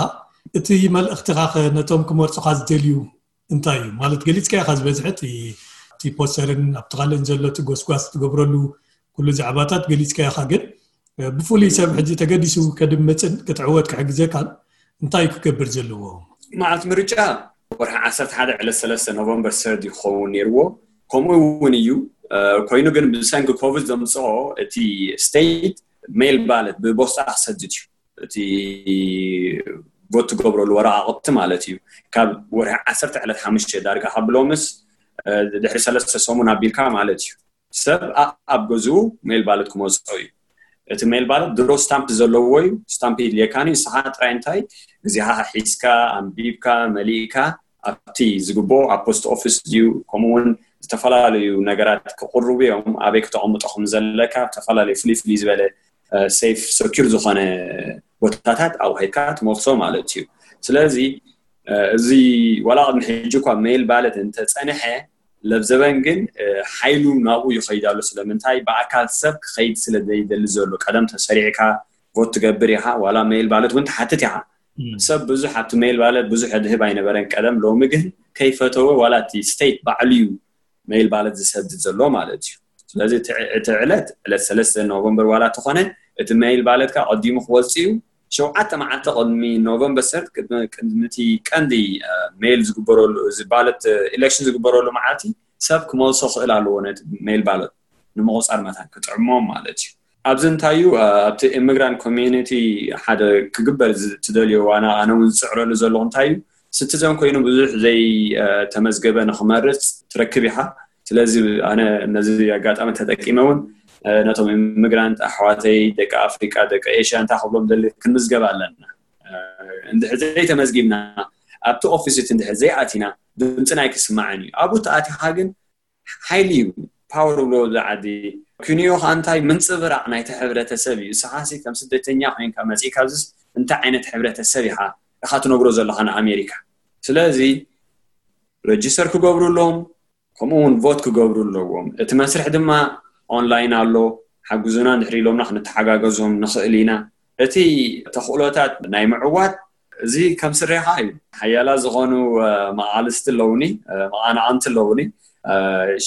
እቲ መልእኽትኻ ነቶም ክመርፁኻ ዝደልዩ እንታይ እዩ ማለት ገሊፅካ ኢኻ ዝበዝሐ እቲ ፖስተርን ኣብቲ ካልእን ዘሎ እቲ ጎስጓስ ትገብረሉ ኩሉ ዛዕባታት ገሊፅካ ኢኻ ግን ብፍሉይ ሰብ ሕጂ ተገዲሱ ከድምፅን ክትዕወት ክሕግዘካን እንታይ እዩ ክገብር ዘለዎ መዓልቲ ምርጫ ወርሒ ዓሰርተ ሓደ ዕለት ሰለስተ ኖቨምበር ሰርድ ክኸውን ነይርዎ ከምኡ እውን እዩ ኮይኑ ግን ብሰንኪ ኮቪድ ዘምፅኦ እቲ ስቴት ሜል ባለት ብቦስጣ ክሰድድ እዩ እቲ ቮት ትገብረሉ ወረቃቅቲ ማለት እዩ ካብ ወርሒ ዓሰርተ ዕለት ሓሙሽተ ዳርጋ ካብ ሎምስ ድሕሪ ሰለስተ ሰሙን ኣቢልካ ማለት እዩ ሰብ ኣብ ገዝኡ ሜል ባለት ክመፅኦ እዩ እቲ ሜል ባለት ድሮ ስታምፕ ዘለዎ እዩ ስታምፕ የድልየካን እዩ ንስኻ ጥራይ እንታይ ግዜኻ ሒዝካ ኣንቢብካ መሊእካ ኣብቲ ዝግብኦ ኣብ ፖስት ኦፊስ ድዩ ከምኡውን ዝተፈላለዩ ነገራት ክቅርቡ እዮም ኣበይ ክተቀምጦ ከም ዘለካ ዝተፈላለዩ ፍልይ ፍልይ ዝበለ ሴፍ ሰኪር ዝኾነ ቦታታት ኣብሂድካ ትመልሶ ማለት እዩ ስለዚ እዚ ዋላ ቅድሚ ሕጂ እኳ ሜል ባለት እንተፀንሐ ለብዘበን ግን ሓይሉ ናብኡ ይኸይድ ኣሎ ስለምንታይ ብኣካል ሰብ ክኸይድ ስለ ዘይደሊ ዘሎ ቀደም ተሰሪዕካ ቮት ትገብር ኢኻ ዋላ ሜል ባለት እውን ትሓትት ኢኻ ሰብ ብዙሕ ኣብቲ ሜል ባለት ብዙሕ ድህብ ኣይነበረን ቀደም ሎሚ ግን ከይፈተወ ዋላ እቲ ስቴት ባዕሉ እዩ ሜል ባለት ዝሰድድ ዘሎ ማለት እዩ ስለዚ እቲ ዕለት ዕለት ሰለስተ ኖቨምበር ዋላ ተኾነ እቲ ሜል ባለትካ ቀዲሙ ክወፅእ እዩ ሸውዓተ መዓልቲ ቅድሚ ኖቨምበር ሰርድ ቅድሚ ቅድሚ እቲ ቀንዲ ሜይል ዝግበረሉ እዚ ባለት ኢሌክሽን ዝግበረሉ መዓልቲ ሰብ ክመልሶ ክእል ኣለዎ ነቲ ሜይል ባለት ንምቁፃር መታን ክጥዕሞም ማለት እዩ። ኣብዚ እንታይ እዩ ኣብቲ ኢሚግራንት ኮሚኒቲ ሓደ ክግበር ትደልዮ ዋና ኣነ እውን ዝፅዕረሉ ዘለኹ እንታይ እዩ ሲቲዘን ኮይኑ ብዙሕ ዘይተመዝገበ ንክመርፅ ትረክብ ኢኻ። ስለዚ ኣነ ነዚ ኣጋጣሚ ተጠቂመ እውን ነቶም ኢሚግራንት ኣሕዋተይ ደቂ ኣፍሪቃ ደቂ ኤሽያ እንታይ ክብሎም ደሊ ክንምዝገብ ኣለና። እንድሕር ዘይተመዝጊብና ኣብቲ ኦፊስ እቲ እንድሕር ዘይኣቲና ድምፅና ኣይክስማዕን እዩ። ኣብኡ ተኣቲኻ ግን ሓይሊ እዩ ፓወር ብሎ ዝዓዲ ኩንዮ ከዓ እንታይ ምንፅብራቅ ናይቲ ሕብረተሰብ እዩ። ንስኻሲ ከም ስደተኛ ኮይንካ መፂእካ ኣብዚስ እንታይ ዓይነት ሕብረተሰብ ኢኻ ኢኻ ትነግሮ ዘለኻ ንኣሜሪካ። ስለዚ ረጅስተር ክገብሩ ኣለዎም ከምኡ እውን ቮት ክገብሩ ኣለዎም። እቲ መስርሕ ድማ ኦንላይን ኣሎ። ሓግዙና እንድሕር ኢሎምና ክንተሓጋገዞም ንኽእል ኢና። እቲ ተኽእሎታት ናይ ምዕዋት እዚ ከም ስሬኻ እዩ። ሓያላ ዝኾኑ መቓልስቲ ኣለውኒ፣ መቓናቕንቲ ኣለውኒ።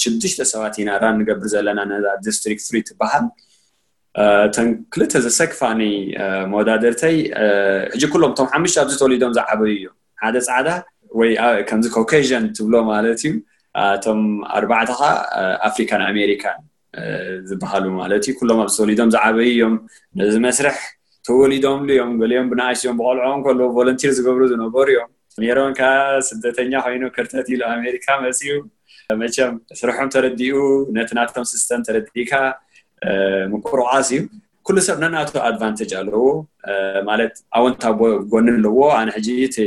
ሽዱሽተ ሰባት ኢና ራን ንገብር ዘለና ነዛ ዲስትሪክት ትሪ ትበሃል። እተን ክልተ ዘሰክፋኒ መወዳደርተይ ሕጂ ኩሎም እቶም ሓሙሽተ ኣብዚ ተወሊዶም ዝዓበዩ እዮም። ሓደ ፃዕዳ ወይ ከምዚ ኮኬዥን ትብሎ ማለት እዩ። እቶም ኣርባዕተ ከዓ ኣፍሪካን ኣሜሪካን ዝበሃሉ ማለት እዩ። ኩሎም ኣብዚ ተወሊዶም ዝዓበዩ እዮም። ነዚ መስርሕ ተወሊዶምሉ እዮም። ገሊኦም ብንኣሽዮም ብቆልዖም ከለዉ ቮለንቲር ዝገብሩ ዝነበሩ እዮም። ሜሮን ከዓ ስደተኛ ኮይኑ ክርተት ኢሉ ኣሜሪካ መፅዩ መቸም ስርሖም ተረዲኡ ነቲ ናቶም ሲስተም ተረዲእካ ምቁርቋስ እዩ። ኩሉ ሰብ ነናቱ ኣድቫንቴጅ ኣለዎ ማለት ኣወንታ ጎኒ ኣለዎ። ኣነ ሕጂ እቲ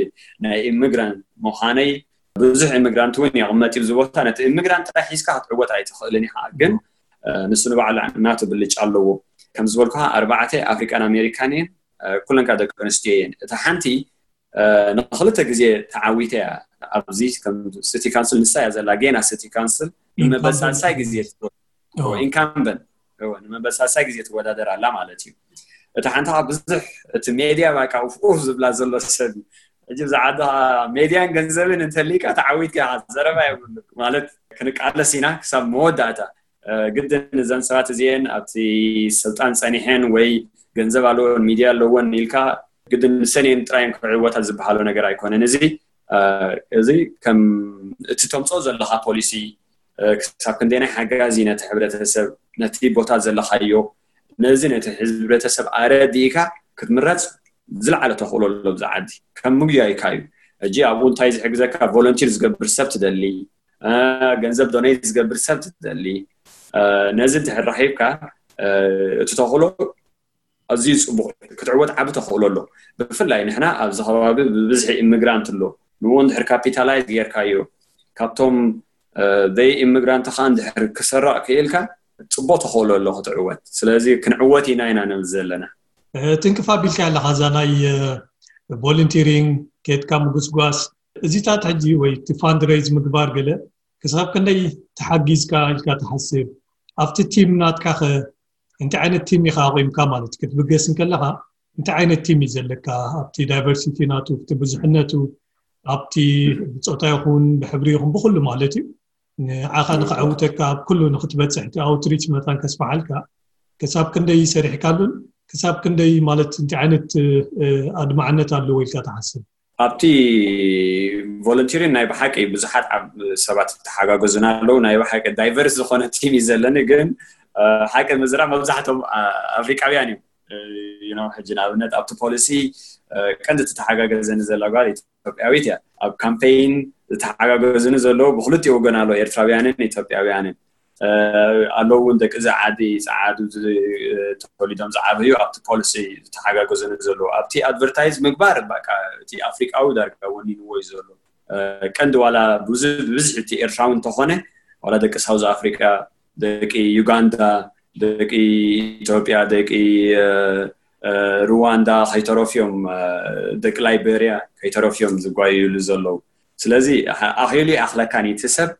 ናይ ኢሚግራንት ምዃነይ ብዙሕ ኢሚግራንት እውን ይቕመጥ እዩ ኣብዚ ቦታ። ነቲ ኢሚግራንት ጥራይ ሒዝካ ክትዕወት ኣይትኽእልን ኢኻ። ግን ንሱ ንባዕሉ ናቱ ብልጫ ኣለዎ። ከም ዝበልኩኻ ኣርባዕተ ኣፍሪካን ኣሜሪካን እየን። ኩለን ከዓ ደቂ ኣንስትዮ እየን። እታ ሓንቲ ንክልተ ግዜ ተዓዊተ እያ። ኣብዚ ከም ሲቲ ካውንስል ንሳ እያ ዘላ ጌና ሲቲ ካውንስል ንመበል ሳልሳይ ግዜ ኢንካምበንት ንመበል ሳልሳይ ግዜ ትወዳደር ኣላ ማለት እዩ። እታ ሓንቲ ከዓ ብዙሕ እቲ ሜድያ ባቃ ኡፍ ዝብላ ዘሎ ሰብ እዩ። ሕጂ ብዛዕባ ሜድያን ገንዘብን እንተሊካ ተዓዊትካ ኢኻ። ዘረባ የብሉ ማለት ክንቃለስ ኢና ክሳብ መወዳእታ። ግድን እዘን ሰባት እዚአን ኣብቲ ስልጣን ፀኒሐን ወይ ገንዘብ ኣለዎን ሚድያ ኣለዎን ኢልካ ግድን ንሰን እየን ጥራየን ክዕወታ ዝበሃሎ ነገር ኣይኮነን። እዚ እዚ ከም እቲ ተምፅኦ ዘለካ ፖሊሲ ክሳብ ክንደይናይ ሓጋዚ ነቲ ሕብረተሰብ ነቲ ቦታ ዘለካዮ ነዚ ነቲ ህዝብረተሰብ ኣረዲእካ ክትምረፅ ዝለዓለ ተኽእሎ ኣሎ። ብዛ ዓዲ ከም ምግያይካ እዩ። ሕጂ ኣብኡ እንታይ ዝሕግዘካ ቮለንቲር ዝገብር ሰብ ትደሊ፣ ገንዘብ ዶኔት ዝገብር ሰብ ትደሊ። ነዚ እንድሕር ረኺብካ እቲ ተኽእሎ ኣዝዩ ፅቡቅ ክትዕወት ዓቢ ተኽእሎ ኣሎ። ብፍላይ ንሕና ኣብዚ ከባቢ ብብዝሒ ኢሚግራንት ኣሎ። ንኡ እንድሕር ካፒታላይዝ ጌርካዮ ካብቶም ዘይ ኢሚግራንት ከዓ እንድሕር ክሰራቕ ክኢልካ ፅቡቅ ተኽእሎ ኣሎ ክትዕወት። ስለዚ ክንዕወት ኢና ኢና ንብል ዘለና። ትንክፍ ኣቢልካ ኣለካ እዛ ናይ ቮለንቲሪንግ ኬድካ ምጉስጓስ እዚታት ሕጂ ወይ እቲ ፋንድሬዝ ምግባር ገለ ክሳብ ክንደይ ተሓጊዝካ ኢልካ ትሓስብ? ኣብቲ ቲም ናትካ ከ እንታይ ዓይነት ቲም ኢካ ኣቑምካ ማለት ክትብገስ እንከለካ እንታይ ዓይነት ቲም እዩ ዘለካ ኣብቲ ዳይቨርሲቲ ናቱ እቲ ብዙሕነቱ ኣብቲ ብፆታ ይኹን ብሕብሪ ይኹን ብኩሉ ማለት እዩ ንዓኻ ንክዕውተካ ኣብ ኩሉ ንክትበፅሕ እቲ ኣውትሪች መታን ከስፋሓልካ ክሳብ ክንደይ ሰሪሕካሉን ክሳብ ክንደይ ማለት እንታይ ዓይነት ኣድማዕነት ኣለዎ ኢልካ ትሓስብ? ኣብቲ ቮለንቲሪን ናይ ብሓቂ ብዙሓት ሰባት ተሓጋገዙና ኣለዉ። ናይ ብሓቂ ዳይቨርስ ዝኾነ ቲም እዩ ዘለኒ፣ ግን ሓቂ ምዝራብ መብዛሕቶም ኣፍሪቃውያን እዮም። ሕጂ ንኣብነት ኣብቲ ፖሊሲ ቀንዲ ተተሓጋገዘኒ ዘላ ጓል ኢትዮጵያዊት እያ። ኣብ ካምፔይን ዝተሓጋገዙኒ ዘለዉ ብክልቲኡ ወገን ኣለዉ፣ ኤርትራውያንን ኢትዮጵያውያንን። ኣለዉ እውን ደቂ እዚ ዓዲ ፃዓዱ ተወሊዶም ዝዓበዩ ኣብቲ ፖሊሲ ዝተሓጋገዙኒ ዘለዉ ኣብቲ ኣድቨርታይዝ ምግባር በቃ እቲ ኣፍሪቃዊ ዳርጋ ወኒንዎ እዩ ዘሎ። ቀንዲ ዋላ ብዙ ብብዝሒ እቲ ኤርትራዊ እንተኾነ ዋላ ደቂ ሳውዝ ኣፍሪቃ፣ ደቂ ዩጋንዳ፣ ደቂ ኢትዮጵያ፣ ደቂ ሩዋንዳ ከይተረፍዮም ደቂ ላይቤርያ ከይተረፍዮም ዝጓየሉ ዘለዉ። ስለዚ ኣኺሉ ይኣኽለካን እዩ እቲ ሰብ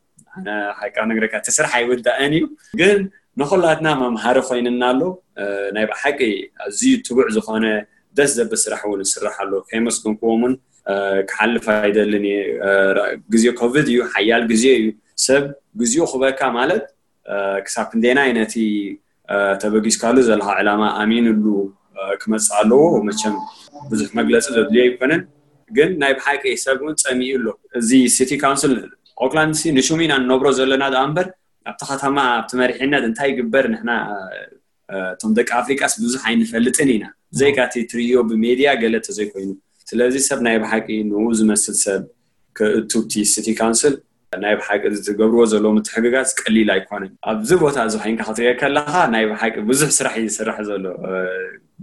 ሓቂ ነግረካ እቲ ስራሕ ኣይውዳእን እዩ። ግን ንኩላትና መምሃሪ ኮይንና ኣሎ። ናይ ብሓቂ ኣዝዩ ትቡዕ ዝኾነ ደስ ዘብል ስራሕ እውን ይስራሕ ኣሎ። ከየመስገንክዎም እውን ክሓልፍ ኣይደልን እየ። ግዜ ኮቪድ እዩ፣ ሓያል ግዜ እዩ። ሰብ ግዜኡ ክበካ ማለት ክሳብ ክንደይናይ ነቲ ተበጊስካሉ ዘለካ ዕላማ ኣሚንሉ ክመፅእ ኣለዎ። መቸም ብዙሕ መግለፂ ዘድልዮ ኣይኮነን፣ ግን ናይ ብሓቂ ሰብ እውን ፀሚኡ ኣሎ። እዚ ሲቲ ካውንስል ኦክላንድ ሲ ንሹም ኢና ንነብሮ ዘለና ደኣ እምበር፣ ኣብቲ ከተማ ኣብቲ መሪሕነት እንታይ ይግበር ንሕና እቶም ደቂ ኣፍሪቃስ ብዙሕ ኣይንፈልጥን ኢና፣ ብዘይካ እቲ ትርእዮ ብሜድያ ገለ ተዘይኮይኑ። ስለዚ ሰብ ናይ ብሓቂ ንኡ ዝመስል ሰብ ክእቱ ኣብቲ ሲቲ ካውንስል ናይ ብሓቂ ዝትገብርዎ ዘለዉ ምትሕግጋዝ ቀሊል ኣይኮነን። ኣብዚ ቦታ እዚ ኮይንካ ክትሪኦ ከለኻ ናይ ብሓቂ ብዙሕ ስራሕ እዩ ዝስራሕ ዘሎ።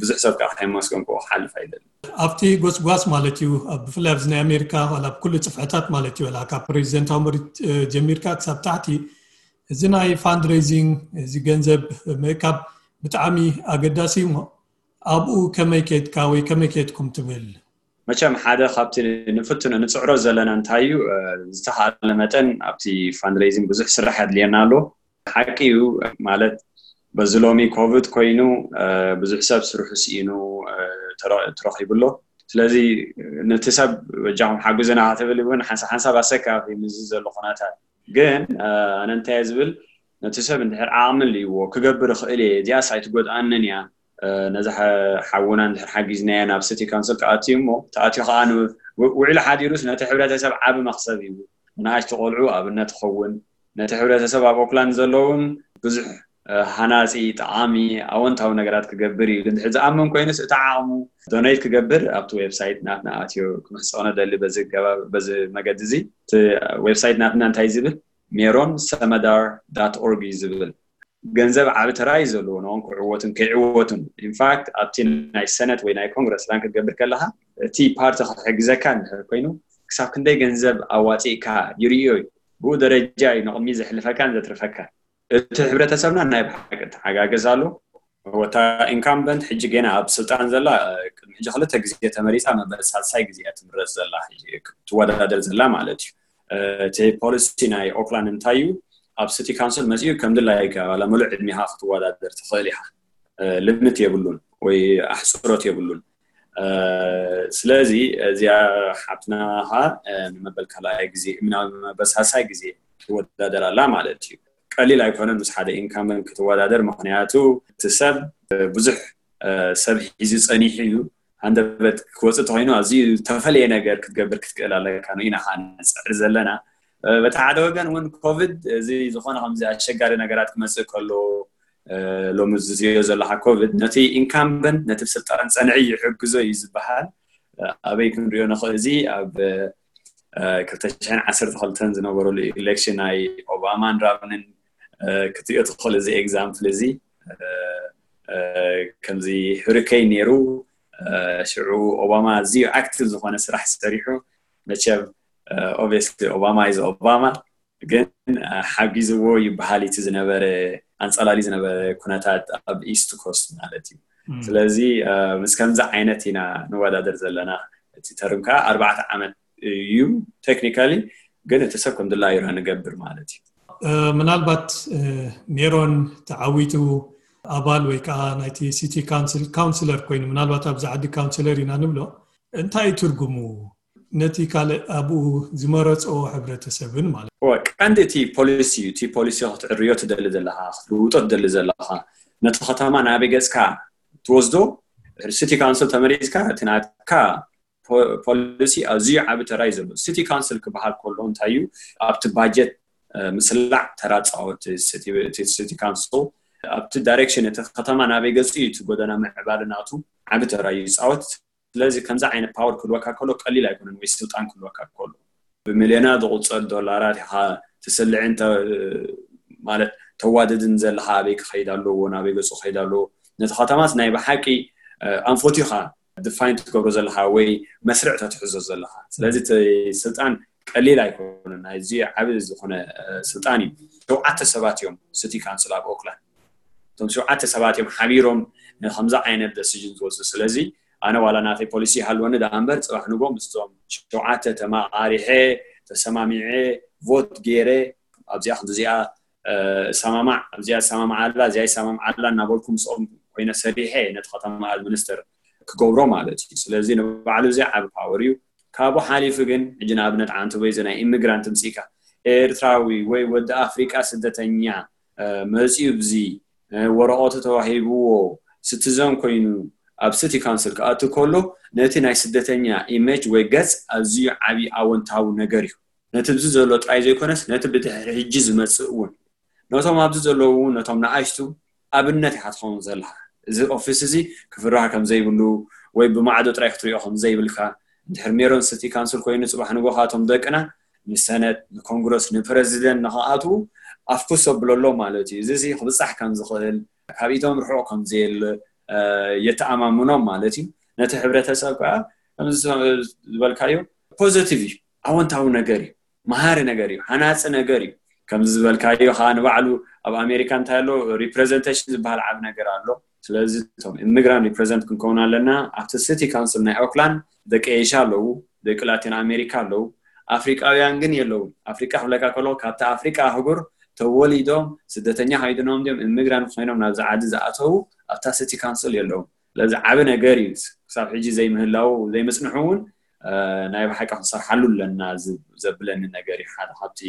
ብዙሕ ሰብ ከዓ ከየመስገንኩ ክሓልፍ ኣይደልን። ኣብቲ ጎስጓስ ማለት እዩ፣ ብፍላይ ኣብዚ ናይ ኣሜሪካ ዋላ ኣብ ኩሉ ፅፍሕታት ማለት እዩ፣ ዋላ ካብ ፕሬዚደንታዊ መሪት ጀሚርካ ክሳብ ታሕቲ እዚ ናይ ፋንድሬዚንግ፣ እዚ ገንዘብ ምእካብ ብጣዕሚ ኣገዳሲ እዩ። እሞ ኣብኡ ከመይ ከድካ ወይ ከመይ ከድኩም ትብል? መቸም ሓደ ካብቲ ንፍትኖ ንፅዕሮ ዘለና እንታይ እዩ፣ ዝተኻለ መጠን ኣብቲ ፋንድሬዚንግ ብዙሕ ስራሕ ኣድልየና ኣሎ። ሓቂ እዩ ማለት በዚ ሎሚ ኮቪድ ኮይኑ ብዙሕ ሰብ ስርሑ ስኢኑ ተረኺቡ ኣሎ። ስለዚ ነቲ ሰብ በጃኹም ሓግዙና ክትብል እውን ሓንሳብ ሓንሳብ ኣሰካፊ ምስዚ ዘሎ ኩነታት። ግን ኣነ እንታይ ዝብል፣ ነቲ ሰብ እንድሕር ዓቕሚ ኣልይዎ ክገብር ይኽእል እየ፣ እዚኣስ ኣይትጎድኣንን እያ፣ ነዛ ሓውና እንድሕር ሓጊዝናዮ ናብ ሲቲ ካውንስል ክኣትዩ እሞ ተኣትዩ ከዓ ውዒሉ ሓዲሩስ ነቲ ሕብረተሰብ ዓቢ መኽሰብ እዩ። ንኣሽቱ ቆልዑ ኣብነት ክኸውን፣ ነቲ ሕብረተሰብ ኣብ ኦክላንድ ዘለውን ብዙሕ ሃናፂ፣ ጠቓሚ፣ ኣወንታዊ ነገራት ክገብር እዩ። ግን ዝኣምን ኮይኑስ እቲ ዓቕሙ ዶኔት ክገብር ኣብቲ ዌብሳይት ናትና ኣትዮ ክምሕፀኖ ደሊ። በዚ ገባብ በዚ መገዲ እዚ እቲ ዌብሳይት ናትና እንታይ ዝብል፣ ሜሮን ሰመዳር ዳት ኦርግ እዩ ዝብል። ገንዘብ ዓቢ ተራ እዩ ዘለዎ ንኦም ክዕወቱን ከይዕወቱን። ኢንፋክት ኣብቲ ናይ ሰነት ወይ ናይ ኮንግረስ ራን ክትገብር ከለካ እቲ ፓርቲ ክሕግዘካ እንድሕር ኮይኑ ክሳብ ክንደይ ገንዘብ ኣዋፂእካ ይርእዮ እዩ። ብኡ ደረጃ እዩ ንቕድሚ ዘሕልፈካን ዘትርፈካ። እቲ ሕብረተሰብና ናይ ብሓቂ ተሓጋገዝ ኣሎ። ወታ ኢንካምበንት ሕጂ ገና ኣብ ስልጣን ዘላ ቅድሚ ሕጂ ክልተ ግዜ ተመሪፃ መበል ሳልሳይ ግዜ እያ ትምረፅ ዘላ ትወዳደር ዘላ ማለት እዩ። እቲ ፖሊሲ ናይ ኦክላንድ እንታይ እዩ? ኣብ ሲቲ ካውንስል መፅኡ ከም ድላይካ ዋላ ምሉእ ዕድሜኻ ክትወዳደር ትኽእል ኢኻ። ልምት የብሉን ወይ ኣሕፅሮት የብሉን። ስለዚ እዚኣ ሓብትና ኸዓ ንመበል ካልኣይ ግዜ ናብ መበል ሳልሳይ ግዜ ትወዳደር ኣላ ማለት እዩ። ቀሊል ኣይኮነን ምስ ሓደ ኢንካምበንት ክትወዳደር፣ ምክንያቱ እቲ ሰብ ብዙሕ ሰብ ሒዙ ፀኒሑ እዩ። ሃንደበት ክወፅእ ተኮይኑ ኣዝዩ ዝተፈለየ ነገር ክትገብር ክትክእል ኣለካ። ንኢና ከዓ ንፅዕር ዘለና። በቲ ሓደ ወገን እውን ኮቪድ እዚ ዝኾነ ከምዚ ኣሸጋሪ ነገራት ክመፅእ ከሎ ሎሚ ዝዝዮ ዘለካ ኮቪድ ነቲ ኢንካምበንት ነቲ ስልጣን ፀንዒ ይሕግዞ እዩ ዝበሃል። ኣበይ ክንሪኦ ንኽእል? እዚ ኣብ ክልተ ሽሕን ዓሰርተ ክልተን ዝነበረሉ ኢሌክሽን ናይ ኦባማን ራምንን ክትሪኦ ትኽእል። እዚ ኤግዛምፕል እዚ ከምዚ ሁሪኬን ነይሩ። ሽዑ ኦባማ ኣዝዩ ኣክቲቭ ዝኾነ ስራሕ ሰሪሑ። መቸም ኦብቪየስሊ ኦባማ ኢዝ ኦባማ፣ ግን ሓጊዝዎ ይበሃል እቲ ዝነበረ ኣንፀላሊ ዝነበረ ኩነታት ኣብ ኢስት ኮስት ማለት እዩ። ስለዚ ምስ ከምዚ ዓይነት ኢና ንወዳደር ዘለና። እቲ ተርም ከዓ ኣርባዕተ ዓመት እዩ ቴክኒካሊ፣ ግን እቲ ሰብ ከም ድላዩ ኢና ንገብር ማለት እዩ። ምናልባት ሜሮን ተዓዊቱ ኣባል ወይ ከዓ ናይቲ ሲቲ ካውንስል ካውንስለር ኮይኑ፣ ምናልባት ኣብዚ ዓዲ ካውንስለር ኢና ንብሎ፣ እንታይ እዩ ትርጉሙ? ነቲ ካልእ ኣብኡ ዝመረፅኦ ሕብረተሰብን ማለት እዩ። ቀንዲ እቲ ፖሊሲ እዩ። እቲ ፖሊሲ ክትዕርዮ ትደሊ ዘለካ፣ ክትልውጦ ትደሊ ዘለካ፣ ነቲ ከተማ ናበይ ገፅካ ትወስዶ፣ ሲቲ ካውንስል ተመሪፅካ እቲ ናትካ ፖሊሲ ኣዝዩ ዓቢ ተራ እዩ ዘለዎ። ሲቲ ካውንስል ክበሃል ከሎ እንታይ እዩ? ኣብቲ ባጀት ምስላዕ ተራ ፃወት ሲቲ ካውንስል ኣብቲ ዳይሬክሽን እቲ ከተማ ናበይ ገፁ እዩ እቲ ጎደና ምዕባለ ናቱ ዓቢ ተራ እዩ ይፃወት። ስለዚ ከምዚ ዓይነት ፓወር ክህልወካ ከሎ ቀሊል ኣይኮነን፣ ወይ ስልጣን ክህልወካ ከሎ ብሚልዮናት ዝቁፀር ዶላራት ኢኻ ትስልዕን ማለት ተዋድድን ዘለካ ኣበይ ክኸይድ ኣለዎ፣ ናበይ ገፁ ክኸይድ ኣለዎ። ነቲ ከተማስ ናይ ብሓቂ ኣንፈት ኢኻ ድፋይን ትገብሮ ዘለካ ወይ መስርዕ ተትሕዞ ዘለካ። ስለዚ እቲ ስልጣን ቀሊል ኣይኮነን፣ ናይዚ ዓቢ ዝኾነ ስልጣን እዩ። ሸውዓተ ሰባት እዮም ሲቲ ካውንስል ኣብ ኦክላንድ። እቶም ሸውዓተ ሰባት እዮም ሓቢሮም ንከምዚ ዓይነት ደሲዥን ዝወስዱ። ስለዚ ኣነ ዋላ ናተይ ፖሊሲ ይሃልወኒ ደኣ እምበር ፅባሕ ንጎ ምስቶም ሸውዓተ ተማቃሪሐ ተሰማሚዐ ቮት ገይረ ኣብዚኣ ክንዲዚኣ ሰማማዕ ኣብዚኣ ሰማማዕ ኣላ እዚኣ ይሰማማዕ ኣላ እናበልኩ ምስኦም ኮይነ ሰሪሐ ነቲ ከተማ ኣድሚኒስተር ክገብሮ ማለት እዩ። ስለዚ ንባዕሉ እዚ ዓቢ ፓወር እዩ። ካብኡ ሓሊፉ ግን ሕጂ ንኣብነት ዓንተቦይ እዚ ናይ ኢሚግራንት ምፅኢካ ኤርትራዊ ወይ ወዲ ኣፍሪቃ ስደተኛ መፂኡ ብዚ ወረቐቱ ተዋሂብዎ ስቲዘን ኮይኑ ኣብ ሲቲ ካውንስል ክኣቱ ከሎ ነቲ ናይ ስደተኛ ኢሜጅ ወይ ገጽ ኣዝዩ ዓቢ ኣወንታዊ ነገር እዩ። ነቲ ብዚ ዘሎ ጥራይ ዘይኮነስ ነቲ ብድሕሪ ሕጂ ዝመጽእ እውን ነቶም ኣብዚ ዘለዉ እውን ነቶም ንኣሽቱ ኣብነት ኢኻ ትኸውን ዘለኻ። እዚ ኦፊስ እዚ ክፍራህ ከም ዘይብሉ ወይ ብማዕዶ ጥራይ ክትሪኦ ከም ዘይብልካ፣ እንድሕር ሜሮን ሲቲ ካውንስል ኮይኑ ጽባሕ ንጎኻ እቶም ደቅና ንሰነት ንኮንግረስ ንፕረዚደንት ንኽኣትዉ ኣፍኩስ ኣብለሎ ማለት እዩ። እዚ እዚ ክብጻሕ ከም ዝኽእል ካብ ኢቶም ርሑቕ ከም ዘየለ የተኣማምኖም ማለት እዩ። ነቲ ሕብረተሰብ ከዓ ከምዚ ዝበልካዮ ፖዘቲቭ እዩ፣ ኣወንታዊ ነገር እዩ፣ መሃሪ ነገር እዩ፣ ሃናፂ ነገር እዩ። ከምዚ ዝበልካዮ ከዓ ንባዕሉ ኣብ ኣሜሪካ እንታይ ኣሎ ሪፕሬዘንቴሽን ዝበሃል ዓብ ነገር ኣሎ። ስለዚ እቶም ኢሚግራንት ሪፕሬዘንት ክንከውን ኣለና። ኣብቲ ሲቲ ካውንስል ናይ ኦክላንድ ደቂ ኤሽያ ኣለዉ፣ ደቂ ላቲን ኣሜሪካ ኣለዉ። ኣፍሪቃውያን ግን የለውን። ኣፍሪቃ ክብለካ ከሎ ካብቲ ኣፍሪቃ ኣህጉር ተወሊዶም ስደተኛ ከይድኖም ድዮም ኢሚግራንት ኮይኖም ናብዚ ዓዲ ዝኣተዉ ኣብታ ሲቲ ካውንስል የለውን። ስለዚ ዓቢ ነገር እዩ። ክሳብ ሕጂ ዘይምህላው ዘይምጽንሑ እውን ናይ ብሓቂ ክንሰርሓሉ ኣለና ዘብለኒ ነገር እዩ። ሓደ ካብቲ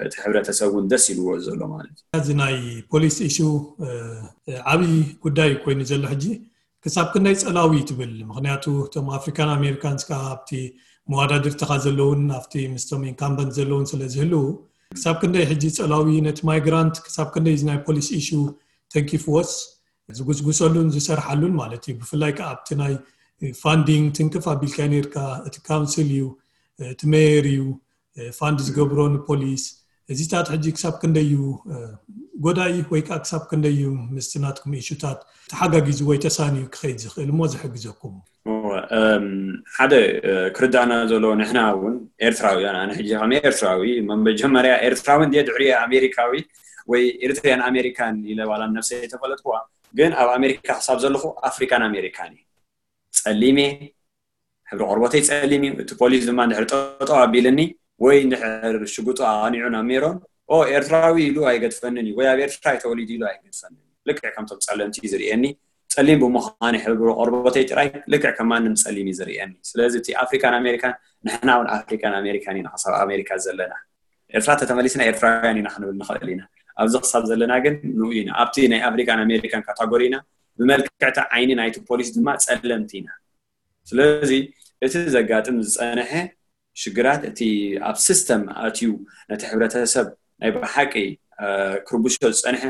እቲ ሕብረተሰብ እውን ደስ ኢልዎ ዘሎ ማለት እዩ። እዚ ናይ ፖሊስ ኢሹ ዓብዪ ጉዳይ ኮይኑ ዘሎ ሕጂ ክሳብ ክንደይ ጸላዊ ትብል? ምክንያቱ እቶም ኣፍሪካን ኣሜሪካንስ ከዓ ኣብቲ መዋዳድርትኻ ዘለውን ኣብቲ ምስቶም ኢንካምበንት ዘለውን ስለ ዝህልው ክሳብ ክንደይ ሕጂ ጸላዊ ነቲ ማይግራንት ክሳብ ክንደይ እዚ ናይ ፖሊስ ኢሹ ተንኪፍዎስ ዝጉስጉሰሉን ዝሰርሓሉን ማለት እዩ። ብፍላይ ከዓ ኣብቲ ናይ ፋንዲንግ ትንክፍ ኣቢልካ ነርካ። እቲ ካውንስል እዩ፣ እቲ ሜየር እዩ ፋንድ ዝገብሮ ንፖሊስ። እዚታት ሕጂ ክሳብ ክንደይ እዩ ጎዳኢ ወይ ከዓ ክሳብ ክንደይ እዩ ምስቲ ናትኩም ኢሹታት ተሓጋጊዙ ወይ ተሳንዩ ክኸይድ ዝኽእል እሞ ዝሕግዘኩም? ሓደ ክርዳእና ዘሎ ንሕና እውን ኤርትራውያን፣ ኣነ ሕጂ ከም ኤርትራዊ መጀመርያ ኤርትራዊ እንድየ ድሕሪ ኣሜሪካዊ ወይ ኤርትሪያን ኣሜሪካን ኢለ ዋላ ነብሰይ ተፈለጥኩዋ፣ ግን ኣብ ኣሜሪካ ክሳብ ዘለኹ ኣፍሪካን ኣሜሪካን እየ። ጸሊም እየ፣ ሕብሪ ቆርበተይ ጸሊም እዩ። እቲ ፖሊስ ድማ እንድሕር ጠጠው ኣቢልኒ ወይ እንድሕር ሽጉጡ ኣቕኒዑ ናብ ሜሮን ኦ ኤርትራዊ ኢሉ ኣይገድፈንን እዩ ወይ ኣብ ኤርትራ እዩ ተወሊዱ ኢሉ ኣይገድፈንን እዩ። ልክዕ ከምቶም ጸለምቲ እዩ ዝርእየኒ። ጸሊም ብምዃነይ ሕብሪ ቆርበተይ ጥራይ ልክዕ ከም ማንም ጸሊም እዩ ዝርእየኒ። ስለዚ እቲ ኣፍሪካን ኣሜሪካን ንሕና እውን ኣፍሪካን ኣሜሪካን ኢና ክሳብ ኣሜሪካ ዘለና። ኤርትራ ተተመሊስና ኤርትራውያን ኢና ክንብል ንኽእል ኢና። ኣብዚ ክሳብ ዘለና ግን ንኡ ኢና። ኣብቲ ናይ ኣፍሪካን ኣሜሪካን ካታጎሪ ኢና። ብመልክዕቲ ዓይኒ ናይቲ ፖሊስ ድማ ጸለምቲ ኢና። ስለዚ እቲ ዘጋጥም ዝጸንሐ ሽግራት እቲ ኣብ ሲስተም ኣትዩ ነቲ ሕብረተሰብ ናይ ብሓቂ ክርብሾ ዝጸንሐ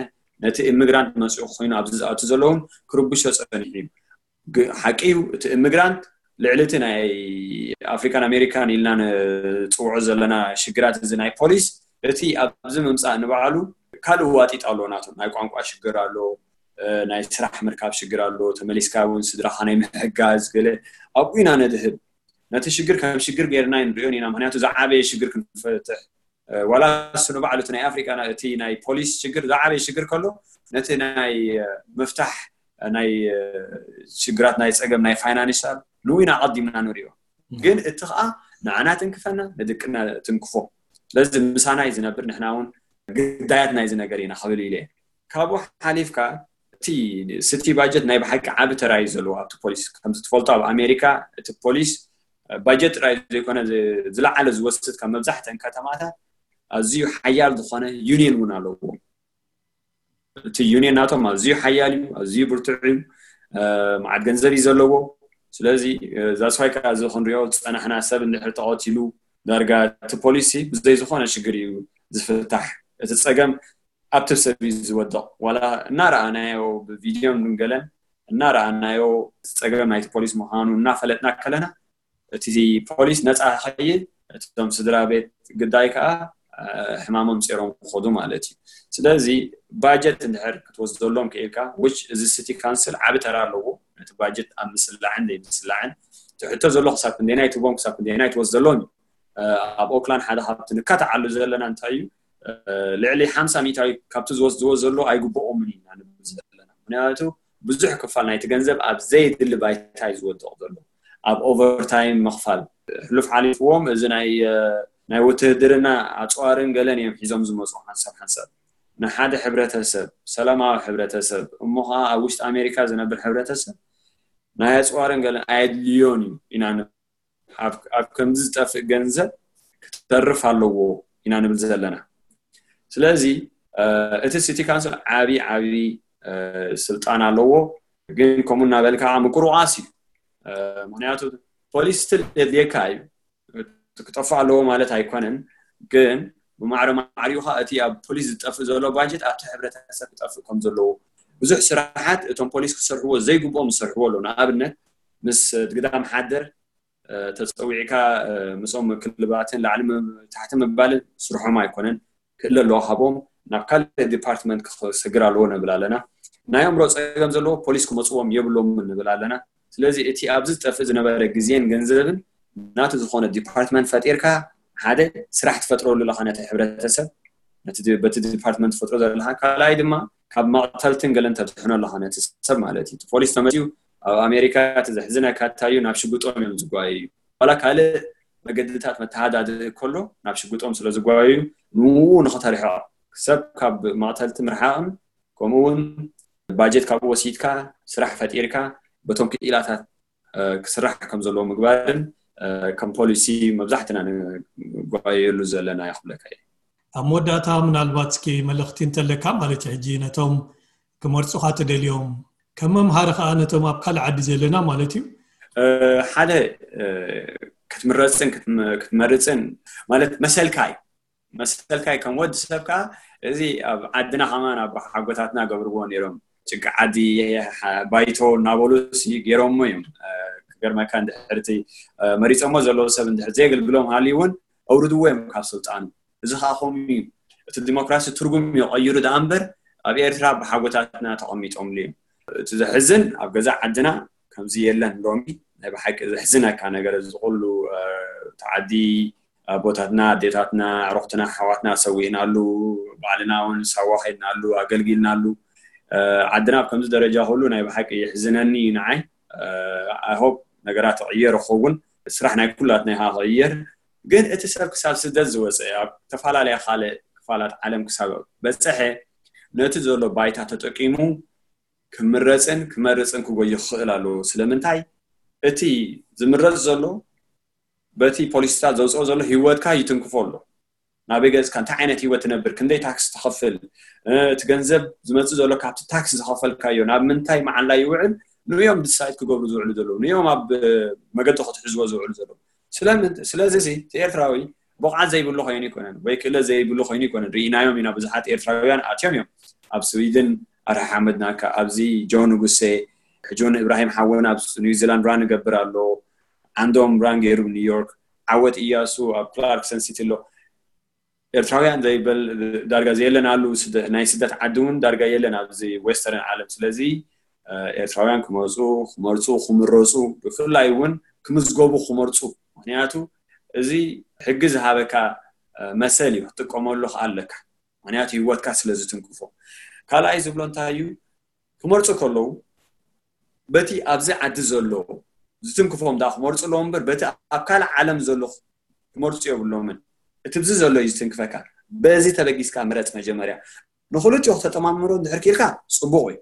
ነቲ ኢሚግራንት መጽኡ ኮይኑ ኣብዚ ዝኣቱ ዘለውን ክርብሾ ጸኒሑ እዩ። ሓቂ እዩ እቲ ኢሚግራንት ልዕሊ እቲ ናይ ኣፍሪካን ኣሜሪካን ኢልና ንፅውዖ ዘለና ሽግራት እዚ ናይ ፖሊስ እቲ ኣብዚ ምምፃእ ንባዕሉ ካልእ ዋጢጥ ኣሎ ናቶም ናይ ቋንቋ ሽግር ኣሎ፣ ናይ ስራሕ ምርካብ ሽግር ኣሎ፣ ተመሊስካ እውን ስድራኻ ናይ ምሕጋዝ ገለ ኣብኡ ኢና ነድህብ። ነቲ ሽግር ከም ሽግር ገይርና ንሪኦን ኢና። ምክንያቱ ዝዓበየ ሽግር ክንፈትሕ ዋላ እሱ ንባዕሉ እቲ ናይ ኣፍሪካ እቲ ናይ ፖሊስ ሽግር ዝዓበየ ሽግር ከሎ ነቲ ናይ ምፍታሕ ናይ ሽግራት ናይ ፀገም ናይ ፋይናንሻል ንኡ ኢና ኣቐዲምና ንሪኦ። ግን እቲ ከዓ ንዓና ትንክፈና ንድቅና ትንክፎ። ስለዚ ምሳና እዩ ዝነብር፣ ንሕና እውን ግዳያት ናይዚ ነገር ኢና ክብል ኢለ። ካብኡ ሓሊፍካ እቲ ስቲ ባጀት ናይ ብሓቂ ዓቢ ተራ እዩ ዘለዎ ኣብቲ ፖሊስ። ከምዚ ትፈልጦ ኣብ ኣሜሪካ እቲ ፖሊስ ባጀት ጥራይ ዘይኮነ ዝለዓለ ዝወስድ ካብ መብዛሕተን ከተማታት ኣዝዩ ሓያል ዝኾነ ዩኒየን እውን ኣለዎ። እቲ ዩኒየን ናቶም ኣዝዩ ሓያል እዩ፣ ኣዝዩ ብርቱዕ እዩ፣ መዓት ገንዘብ እዩ ዘለዎ። ስለዚ ዛስዋይ ከዓ እዚ ክንሪኦ ዝፀናሕና ሰብ እንድሕር ተቐቲሉ ዳርጋ እቲ ፖሊሲ ብዘይ ዝኾነ ሽግር እዩ ዝፍታሕ። እቲ ፀገም ኣብቲ ሰብ እዩ ዝወድቕ። ዋላ እናረኣናዮ ብቪድዮን ብንገለን እናረኣናዮ እቲ ፀገም ናይቲ ፖሊስ ምዃኑ እናፈለጥና ከለና እቲ ፖሊስ ነፃ ከይድ እቶም ስድራ ቤት ግዳይ ከዓ ሕማሞም ፂሮም ክኸዱ ማለት እዩ። ስለዚ ባጀት እንድሕር ክትወስደሎም ክኢልካ which እዚ ሲቲ ካውንስል ዓቢ ተራ ኣለዎ ነቲ ባጀት ኣብ ምስላዕን ዘይምስላዕን። እቲ ሕቶ ዘሎ ክሳብ ክንደየናይ ትቦም ክሳብ ክንደየናይ ትወስደሎም እዩ። ኣብ ኦክላንድ ሓደ ካብቲ ንካታዓሉ ዘለና እንታይ እዩ ልዕሊ ሓምሳ ሚእታዊ ካብቲ ዝወስድዎ ዘሎ ኣይግብኦምን ኢና ንብል ዘለና። ምክንያቱ ብዙሕ ክፋል ናይቲ ገንዘብ ኣብ ዘይድሊ ባይታ እዩ ዝወድቕ ዘሎ። ኣብ ኦቨርታይም ምኽፋል ሕሉፍ ሓሊፍዎም እዚ ናይ ናይ ውትህድርና ኣፅዋርን ገለን እዮም ሒዞም ዝመፁ ሓንሳብ ሓንሳብ። ንሓደ ሕብረተሰብ ሰላማዊ ሕብረተሰብ እሞ ከዓ ኣብ ውሽጢ ኣሜሪካ ዝነብር ሕብረተሰብ ናይ ኣፅዋርን ገለን ኣየድልዮን እዩ ኢና ኣብ ከምዚ ዝጠፍእ ገንዘብ ክተርፍ ኣለዎ ኢና ንብል ዘለና። ስለዚ እቲ ሲቲ ካውንስል ዓቢ ዓቢ ስልጣን ኣለዎ። ግን ከምኡ እናበልካ ምቁርቋስ እዩ። ምክንያቱ ፖሊስ ስትል የድልየካ እዩ። ክጠፍእ ኣለዎ ማለት ኣይኮነን። ግን ብማዕረ ማዕሪኡ እቲ ኣብ ፖሊስ ዝጠፍእ ዘሎ ባጀት ኣብቲ ሕብረተሰብ ክጠፍእ ከም ዘለዎ ብዙሕ ስራሓት እቶም ፖሊስ ክሰርሕዎ ዘይግብኦም ዝሰርሕዎ ኣሎ። ንኣብነት ምስ ግዳም ሓደር ተፀዊዕካ ምስኦም ምክልባትን ላዕሊ ታሕቲ ምባልን ስርሖም ኣይኮነን። ክእለ ኣለዎ ሃቦም ናብ ካልእ ዲፓርትመንት ክሰግር ኣለዎ ንብል ኣለና። ናይ ኣእምሮ ፀገም ዘለዎ ፖሊስ ክመፅዎም የብሎምን ንብል ኣለና። ስለዚ እቲ ኣብዚ ዝጠፍእ ዝነበረ ግዜን ገንዘብን ናቱ ዝኾነ ዲፓርትመንት ፈጢርካ ሓደ ስራሕ ትፈጥረሉ ኣለኻ ነቲ ሕብረተሰብ፣ በቲ ዲፓርትመንት ትፈጥሮ ዘለካ። ካልኣይ ድማ ካብ መቕተልትን ገለን ተድሕኖ ኣለኻ ነቲ ሰብ ማለት እዩ። ፖሊስ ተመፅዩ ኣብ ኣሜሪካ እቲ ዘሕዝነካ እንታይ እዩ፣ ናብ ሽጉጦም እዮም ዝጓዩ እዩ። ዋላ ካልእ መገድታት መተሃዳድኢ ከሎ ናብ ሽጉጦም ስለ ዝጓዩ ንኡ ንኽተርሕቕ ሰብ ካብ መቕተልቲ ምርሓቕን ከምኡ እውን ባጀት ካብኡ ወሲድካ ስራሕ ፈጢርካ በቶም ክኢላታት ክስራሕ ከም ዘለዎ ምግባርን ከም ፖሊሲ መብዛሕትና ንጓየሉ ዘለና ይኽብለካ እየ። ኣብ መወዳእታ ምናልባት እስኪ መልእኽቲ እንተለካ ማለት ሕጂ ነቶም ክመርፁኻ ትደልዮም ከም መምሃሪ ከዓ ነቶም ኣብ ካልእ ዓዲ ዘለና ማለት እዩ። ሓደ ክትምረፅን ክትመርፅን ማለት መሰልካ እዩ። መሰልካ እዩ ከም ወዲ ሰብ ከዓ። እዚ ኣብ ዓድና ከማን ኣብ ሓጎታትና ገብርዎ ነይሮም። ጭቃ ዓዲ ባይቶ እናበሉ ገይሮሞ እዮም። ክገርመካ እንድሕርቲ መሪፀሞ ዘለዉ ሰብ እንድሕር ዘየገልግሎም ሃልዩ እውን ኣውርድዎ እዮም ካብ ስልጣኑ። እዚ ከዓ ከምኡ እዩ። እቲ ዲሞክራሲ ትርጉም እዩ ቀይሩ ደኣ እምበር ኣብ ኤርትራ ብሓጎታትና ተቐሚጦምሉ እዮም። እቲ ዘሕዝን ኣብ ገዛ ዓድና ከምዚ የለን። ሎሚ ናይ ብሓቂ ዘሕዝነካ ነገር እዚ ኩሉ ተዓዲ ኣቦታትና ኣዴታትና ኣዕሩኽትና ኣሕዋትና ሰዊእናሉ፣ ባዕልና እውን ሳዋ ከድናሉ ኣገልጊልናሉ። ዓድና ኣብ ከምዚ ደረጃ ኩሉ ናይ ብሓቂ የሕዝነኒ እዩ ንዓይ። I hope ነገራት ይቕየር ይኸውን። ስራሕ ናይ ኩላትና ኢኻ ክቕየር። ግን እቲ ሰብ ክሳብ ስደት ዝወፀ ኣብ ዝተፈላለያ ካልእ ክፋላት ዓለም ክሳብ በፀሐ ነቲ ዘሎ ባይታ ተጠቂሙ ክምረፅን ክመርፅን ክጎይ ክኽእል ኣለዎ። ስለምንታይ እቲ ዝምረፅ ዘሎ በቲ ፖሊሲታት ዘውፅኦ ዘሎ ህይወትካ ይትንክፎ ኣሎ። ናበይ ገፅካ እንታይ ዓይነት ህይወት ትነብር፣ ክንደይ ታክስ ትኸፍል፣ እቲ ገንዘብ ዝመፅእ ዘሎ ካብቲ ታክስ ዝኸፈልካዮ ናብ ምንታይ መዓላ ይውዕል ንዮም ድሳይት ክገብሩ ዝውዕሉ ዘለዉ ንዮም ኣብ መገዲ ክትሕዝዎ ዝውዕሉ ዘለዉ። ስለዚ እቲ ኤርትራዊ ብቕዓት ዘይብሉ ኮይኑ ይኮነን ወይ ክእለት ዘይብሉ ኮይኑ ይኮነን። ርኢናዮም ኢና። ብዙሓት ኤርትራውያን ኣትዮም እዮም ኣብ ስዊድን ኣርሓ ሓመድናካ ኣብዚ ጆ ንጉሴ ሕጂ እውን እብራሂም ሓወን ኣብ ኒውዚላንድ ራን ይገብር ኣሎ። ዓንዶም ራን ገይሩ ኒውዮርክ። ዓወት እያሱ ኣብ ክላርክሰን ሲቲ ኣሎ። ኤርትራውያን ዘይበል ዳርጋ ዘየለን ኣሉ። ናይ ስደት ዓዲ እውን ዳርጋ የለን ኣብዚ ዌስተርን ዓለም። ስለዚ ኤርትራውያን ክመፁ ክመርፁ ክምረፁ ብፍላይ እውን ክምዝገቡ ክመርፁ። ምክንያቱ እዚ ሕጊ ዝሃበካ መሰል እዩ፣ ክትጥቀመሉ ከዓ ኣለካ። ምክንያቱ ህይወትካ ስለ ዝትንክፎ። ካልኣይ ዝብሎ እንታይ እዩ፣ ክመርፁ ከለዉ በቲ ኣብዚ ዓዲ ዘሎ ዝትንክፎም ዳ ክመርፁ ኣለዎ እምበር በቲ ኣብ ካልእ ዓለም ዘሎ ክመርፁ የብሎምን። እቲ ብዚ ዘሎ እዩ ዝትንክፈካ። በዚ ተበጊስካ ምረፅ መጀመርያ። ንክልቲኡ ክተጠማምሮ እንድሕር ክኢልካ ፅቡቕ እዩ።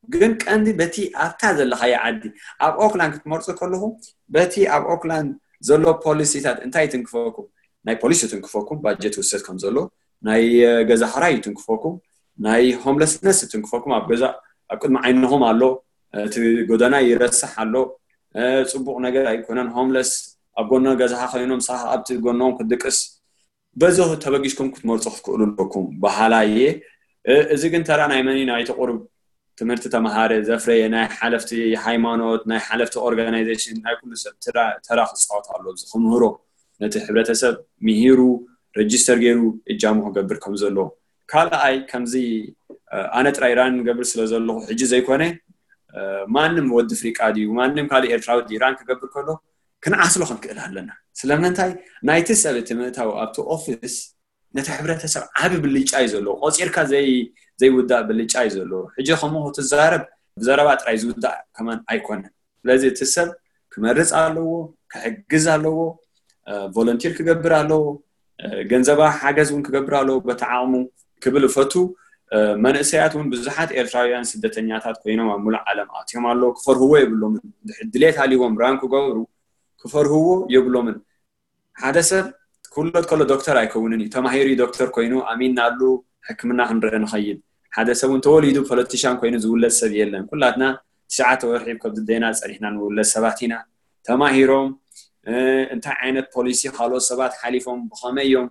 ግን ቀንዲ በቲ ኣብታ ዘለኻዮ ዓዲ ኣብ ኦክላንድ ክትመርፁ ከለኹም በቲ ኣብ ኦክላንድ ዘሎ ፖሊሲታት እንታይ ይትንክፈኩም? ናይ ፖሊስ ይትንክፈኩም፣ ባጀት ይውሰድ ከም ዘሎ፣ ናይ ገዛ ክራይ ይትንክፈኩም፣ ናይ ሆምለስነስ ይትንክፈኩም። ኣብ ገዛ ኣብ ቅድሚ ዓይንኹም ኣሎ፣ እቲ ጎደና ይረስሕ ኣሎ፣ ፅቡቕ ነገር ኣይኮነን። ሆምለስ ኣብ ጎኖ ገዛኻ ኮይኖም ሳኻ ኣብቲ ጎኖም ክትድቅስ በዚ ተበጊስኩም ክትመርፁ ክትክእሉ ኣለኩም በሃላይ እየ። እዚ ግን ተራ ናይ መን እዩ? ናይቲ ቁሩብ ትምህርቲ ተምሃረ ዘፍረየ ናይ ሓለፍቲ ሃይማኖት ናይ ሓለፍቲ ኦርጋናይዜሽን ናይ ኩሉ ሰብ ተራ ክፃወት ኣሎ። እዚ ክምህሮ ነቲ ሕብረተሰብ ምሂሩ ረጅስተር ገይሩ እጃሙ ክገብር ከም ዘለዎ። ካልኣይ ከምዚ ኣነ ጥራይ ራን ገብር ስለ ዘለኹ ሕጂ ዘይኮነ ማንም ወዲ ፍሪቃ ድዩ ማንም ካልእ ኤርትራዊ ድዩ ራን ክገብር ከሎ ክንዓስሎ ክንክእል ኣለና። ስለምንታይ ናይቲ ሰብ እቲ ምእታው ኣብቲ ኦፊስ ነቲ ሕብረተሰብ ዓቢ ብልጫ እዩ ዘለዎ። ቆፂርካ ዘይውዳእ ብልጫ እዩ ዘለዎ። ሕጂ ከምኡ ክትዛረብ ብዘረባ ጥራይ ዝውዳእ ከማን ኣይኮነን። ስለዚ እቲ ሰብ ክመርፅ ኣለዎ፣ ክሕግዝ ኣለዎ፣ ቮለንቲር ክገብር ኣለዎ፣ ገንዘባ ሓገዝ እውን ክገብር ኣለዎ በቲ ዓቕሙ ክብል እፈቱ። መንእሰያት እውን ብዙሓት ኤርትራውያን ስደተኛታት ኮይኖም ኣብ ሙሉእ ዓለም ኣትዮም ኣለዉ። ክፈርህዎ የብሎምን። ድሌት ሃልይዎም ራን ክገብሩ ክፈርህዎ የብሎምን። ሓደ ሰብ ክውለድ ከሎ ዶክተር ኣይከውንን እዩ። ተማሂሩ ዶክተር ኮይኑ ኣሚንናሉ ሕክምና ክንርኢ ንኸይድ። ሓደ ሰብ እውን ተወሊዱ ፖለቲሻን ኮይኑ ዝውለድ ሰብ የለን። ኩላትና ትሽዓተ ወርሒ ከብዲ ደይና ጸኒሕና ንውለድ ሰባት ኢና። ተማሂሮም እንታይ ዓይነት ፖሊሲ ካልኦት ሰባት ሓሊፎም ብኸመይ እዮም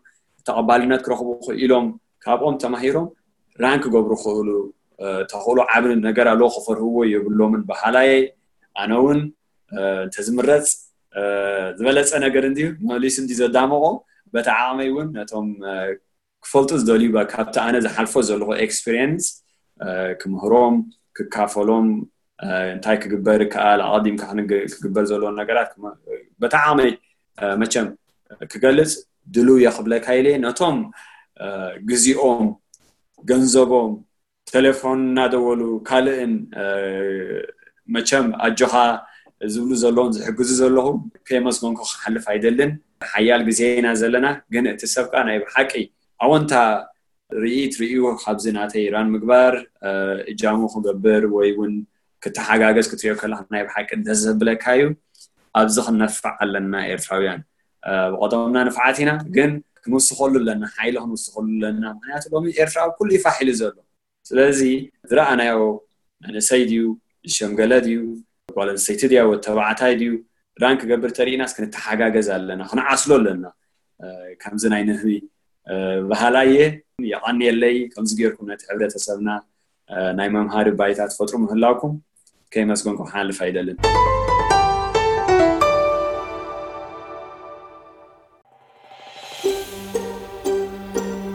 ተቐባልነት ክረኽቡ ክኢሎም ካብኦም ተማሂሮም ራን ክገብሩ ክእሉ ተኽእሎ ዓቢ ነገር ኣለዎ። ክፈርህዎ የብሎምን በሃላየ። ኣነ እውን እንተዝምረፅ ዝበለፀ ነገር እንድዩ መሊሱ እንዲ ዘዳመቆ በቲ ዓቕመይ እውን ነቶም ክፈልጡ ዝደልዩ ካብቲ ኣነ ዝሓልፎ ዘለኹ ኤክስፒሪየንስ ክምህሮም ክካፈሎም እንታይ ክግበር ይከኣል ኣቐዲምካ ክግበር ዘለዎ ነገራት በቲ ዓቕመይ መቸም ክገልፅ ድልው እየ ክብለካ ኢለ ነቶም ግዜኦም ገንዘቦም ቴሌፎን እናደወሉ ካልእን መቸም ኣጆኻ ዝብሉ ዘለውን ዝሕግዙ ዘለኹ ከየመስገንኩ ክሓልፍ ኣይደልን። ሓያል ግዜ ኢና ዘለና፣ ግን እቲ ሰብካ ናይ ብሓቂ ኣወንታ ርኢት ርእዩ ካብዚ ናተይ ራን ምግባር እጃሙ ክገብር ወይ እውን ክተሓጋገዝ ክትሪኦ ከለካ ናይ ብሓቂ ደስ ዘብለካ እዩ። ኣብዚ ክንነፍዕ ኣለና ኤርትራውያን። ብቐደምና ንፍዓት ኢና፣ ግን ክንውስኸሉ ኣለና፣ ሓይሊ ክንውስኸሉ ኣለና። ምክንያቱ ሎሚ ኤርትራ ኣብ ኩሉ እዩ ፋሕ ኢሉ ዘሎ። ስለዚ ዝረኣናዮ መንእሰይ ድዩ ዝሸምገለ ድዩ ጓል ኣንስተይቲ ድያ ወተባዕታይ ድዩ ራን ክገብር ተሪኢናስ ክንተሓጋገዝ ኣለና፣ ክንዓስሎ ኣለና። ከምዚ ናይ ንህቢ ባህላየ የቐንየለይ። ከምዚ ጌርኩም ነቲ ሕብረተሰብና ናይ መምሃሪ ባይታ ትፈጥሩ ምህላውኩም ከየመስገንኩም ክሓልፍ ኣይደልን።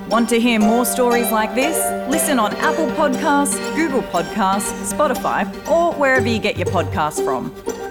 Want to hear more stories like this? Listen on Apple Podcasts, Google Podcasts, Spotify, or wherever you get your podcasts from.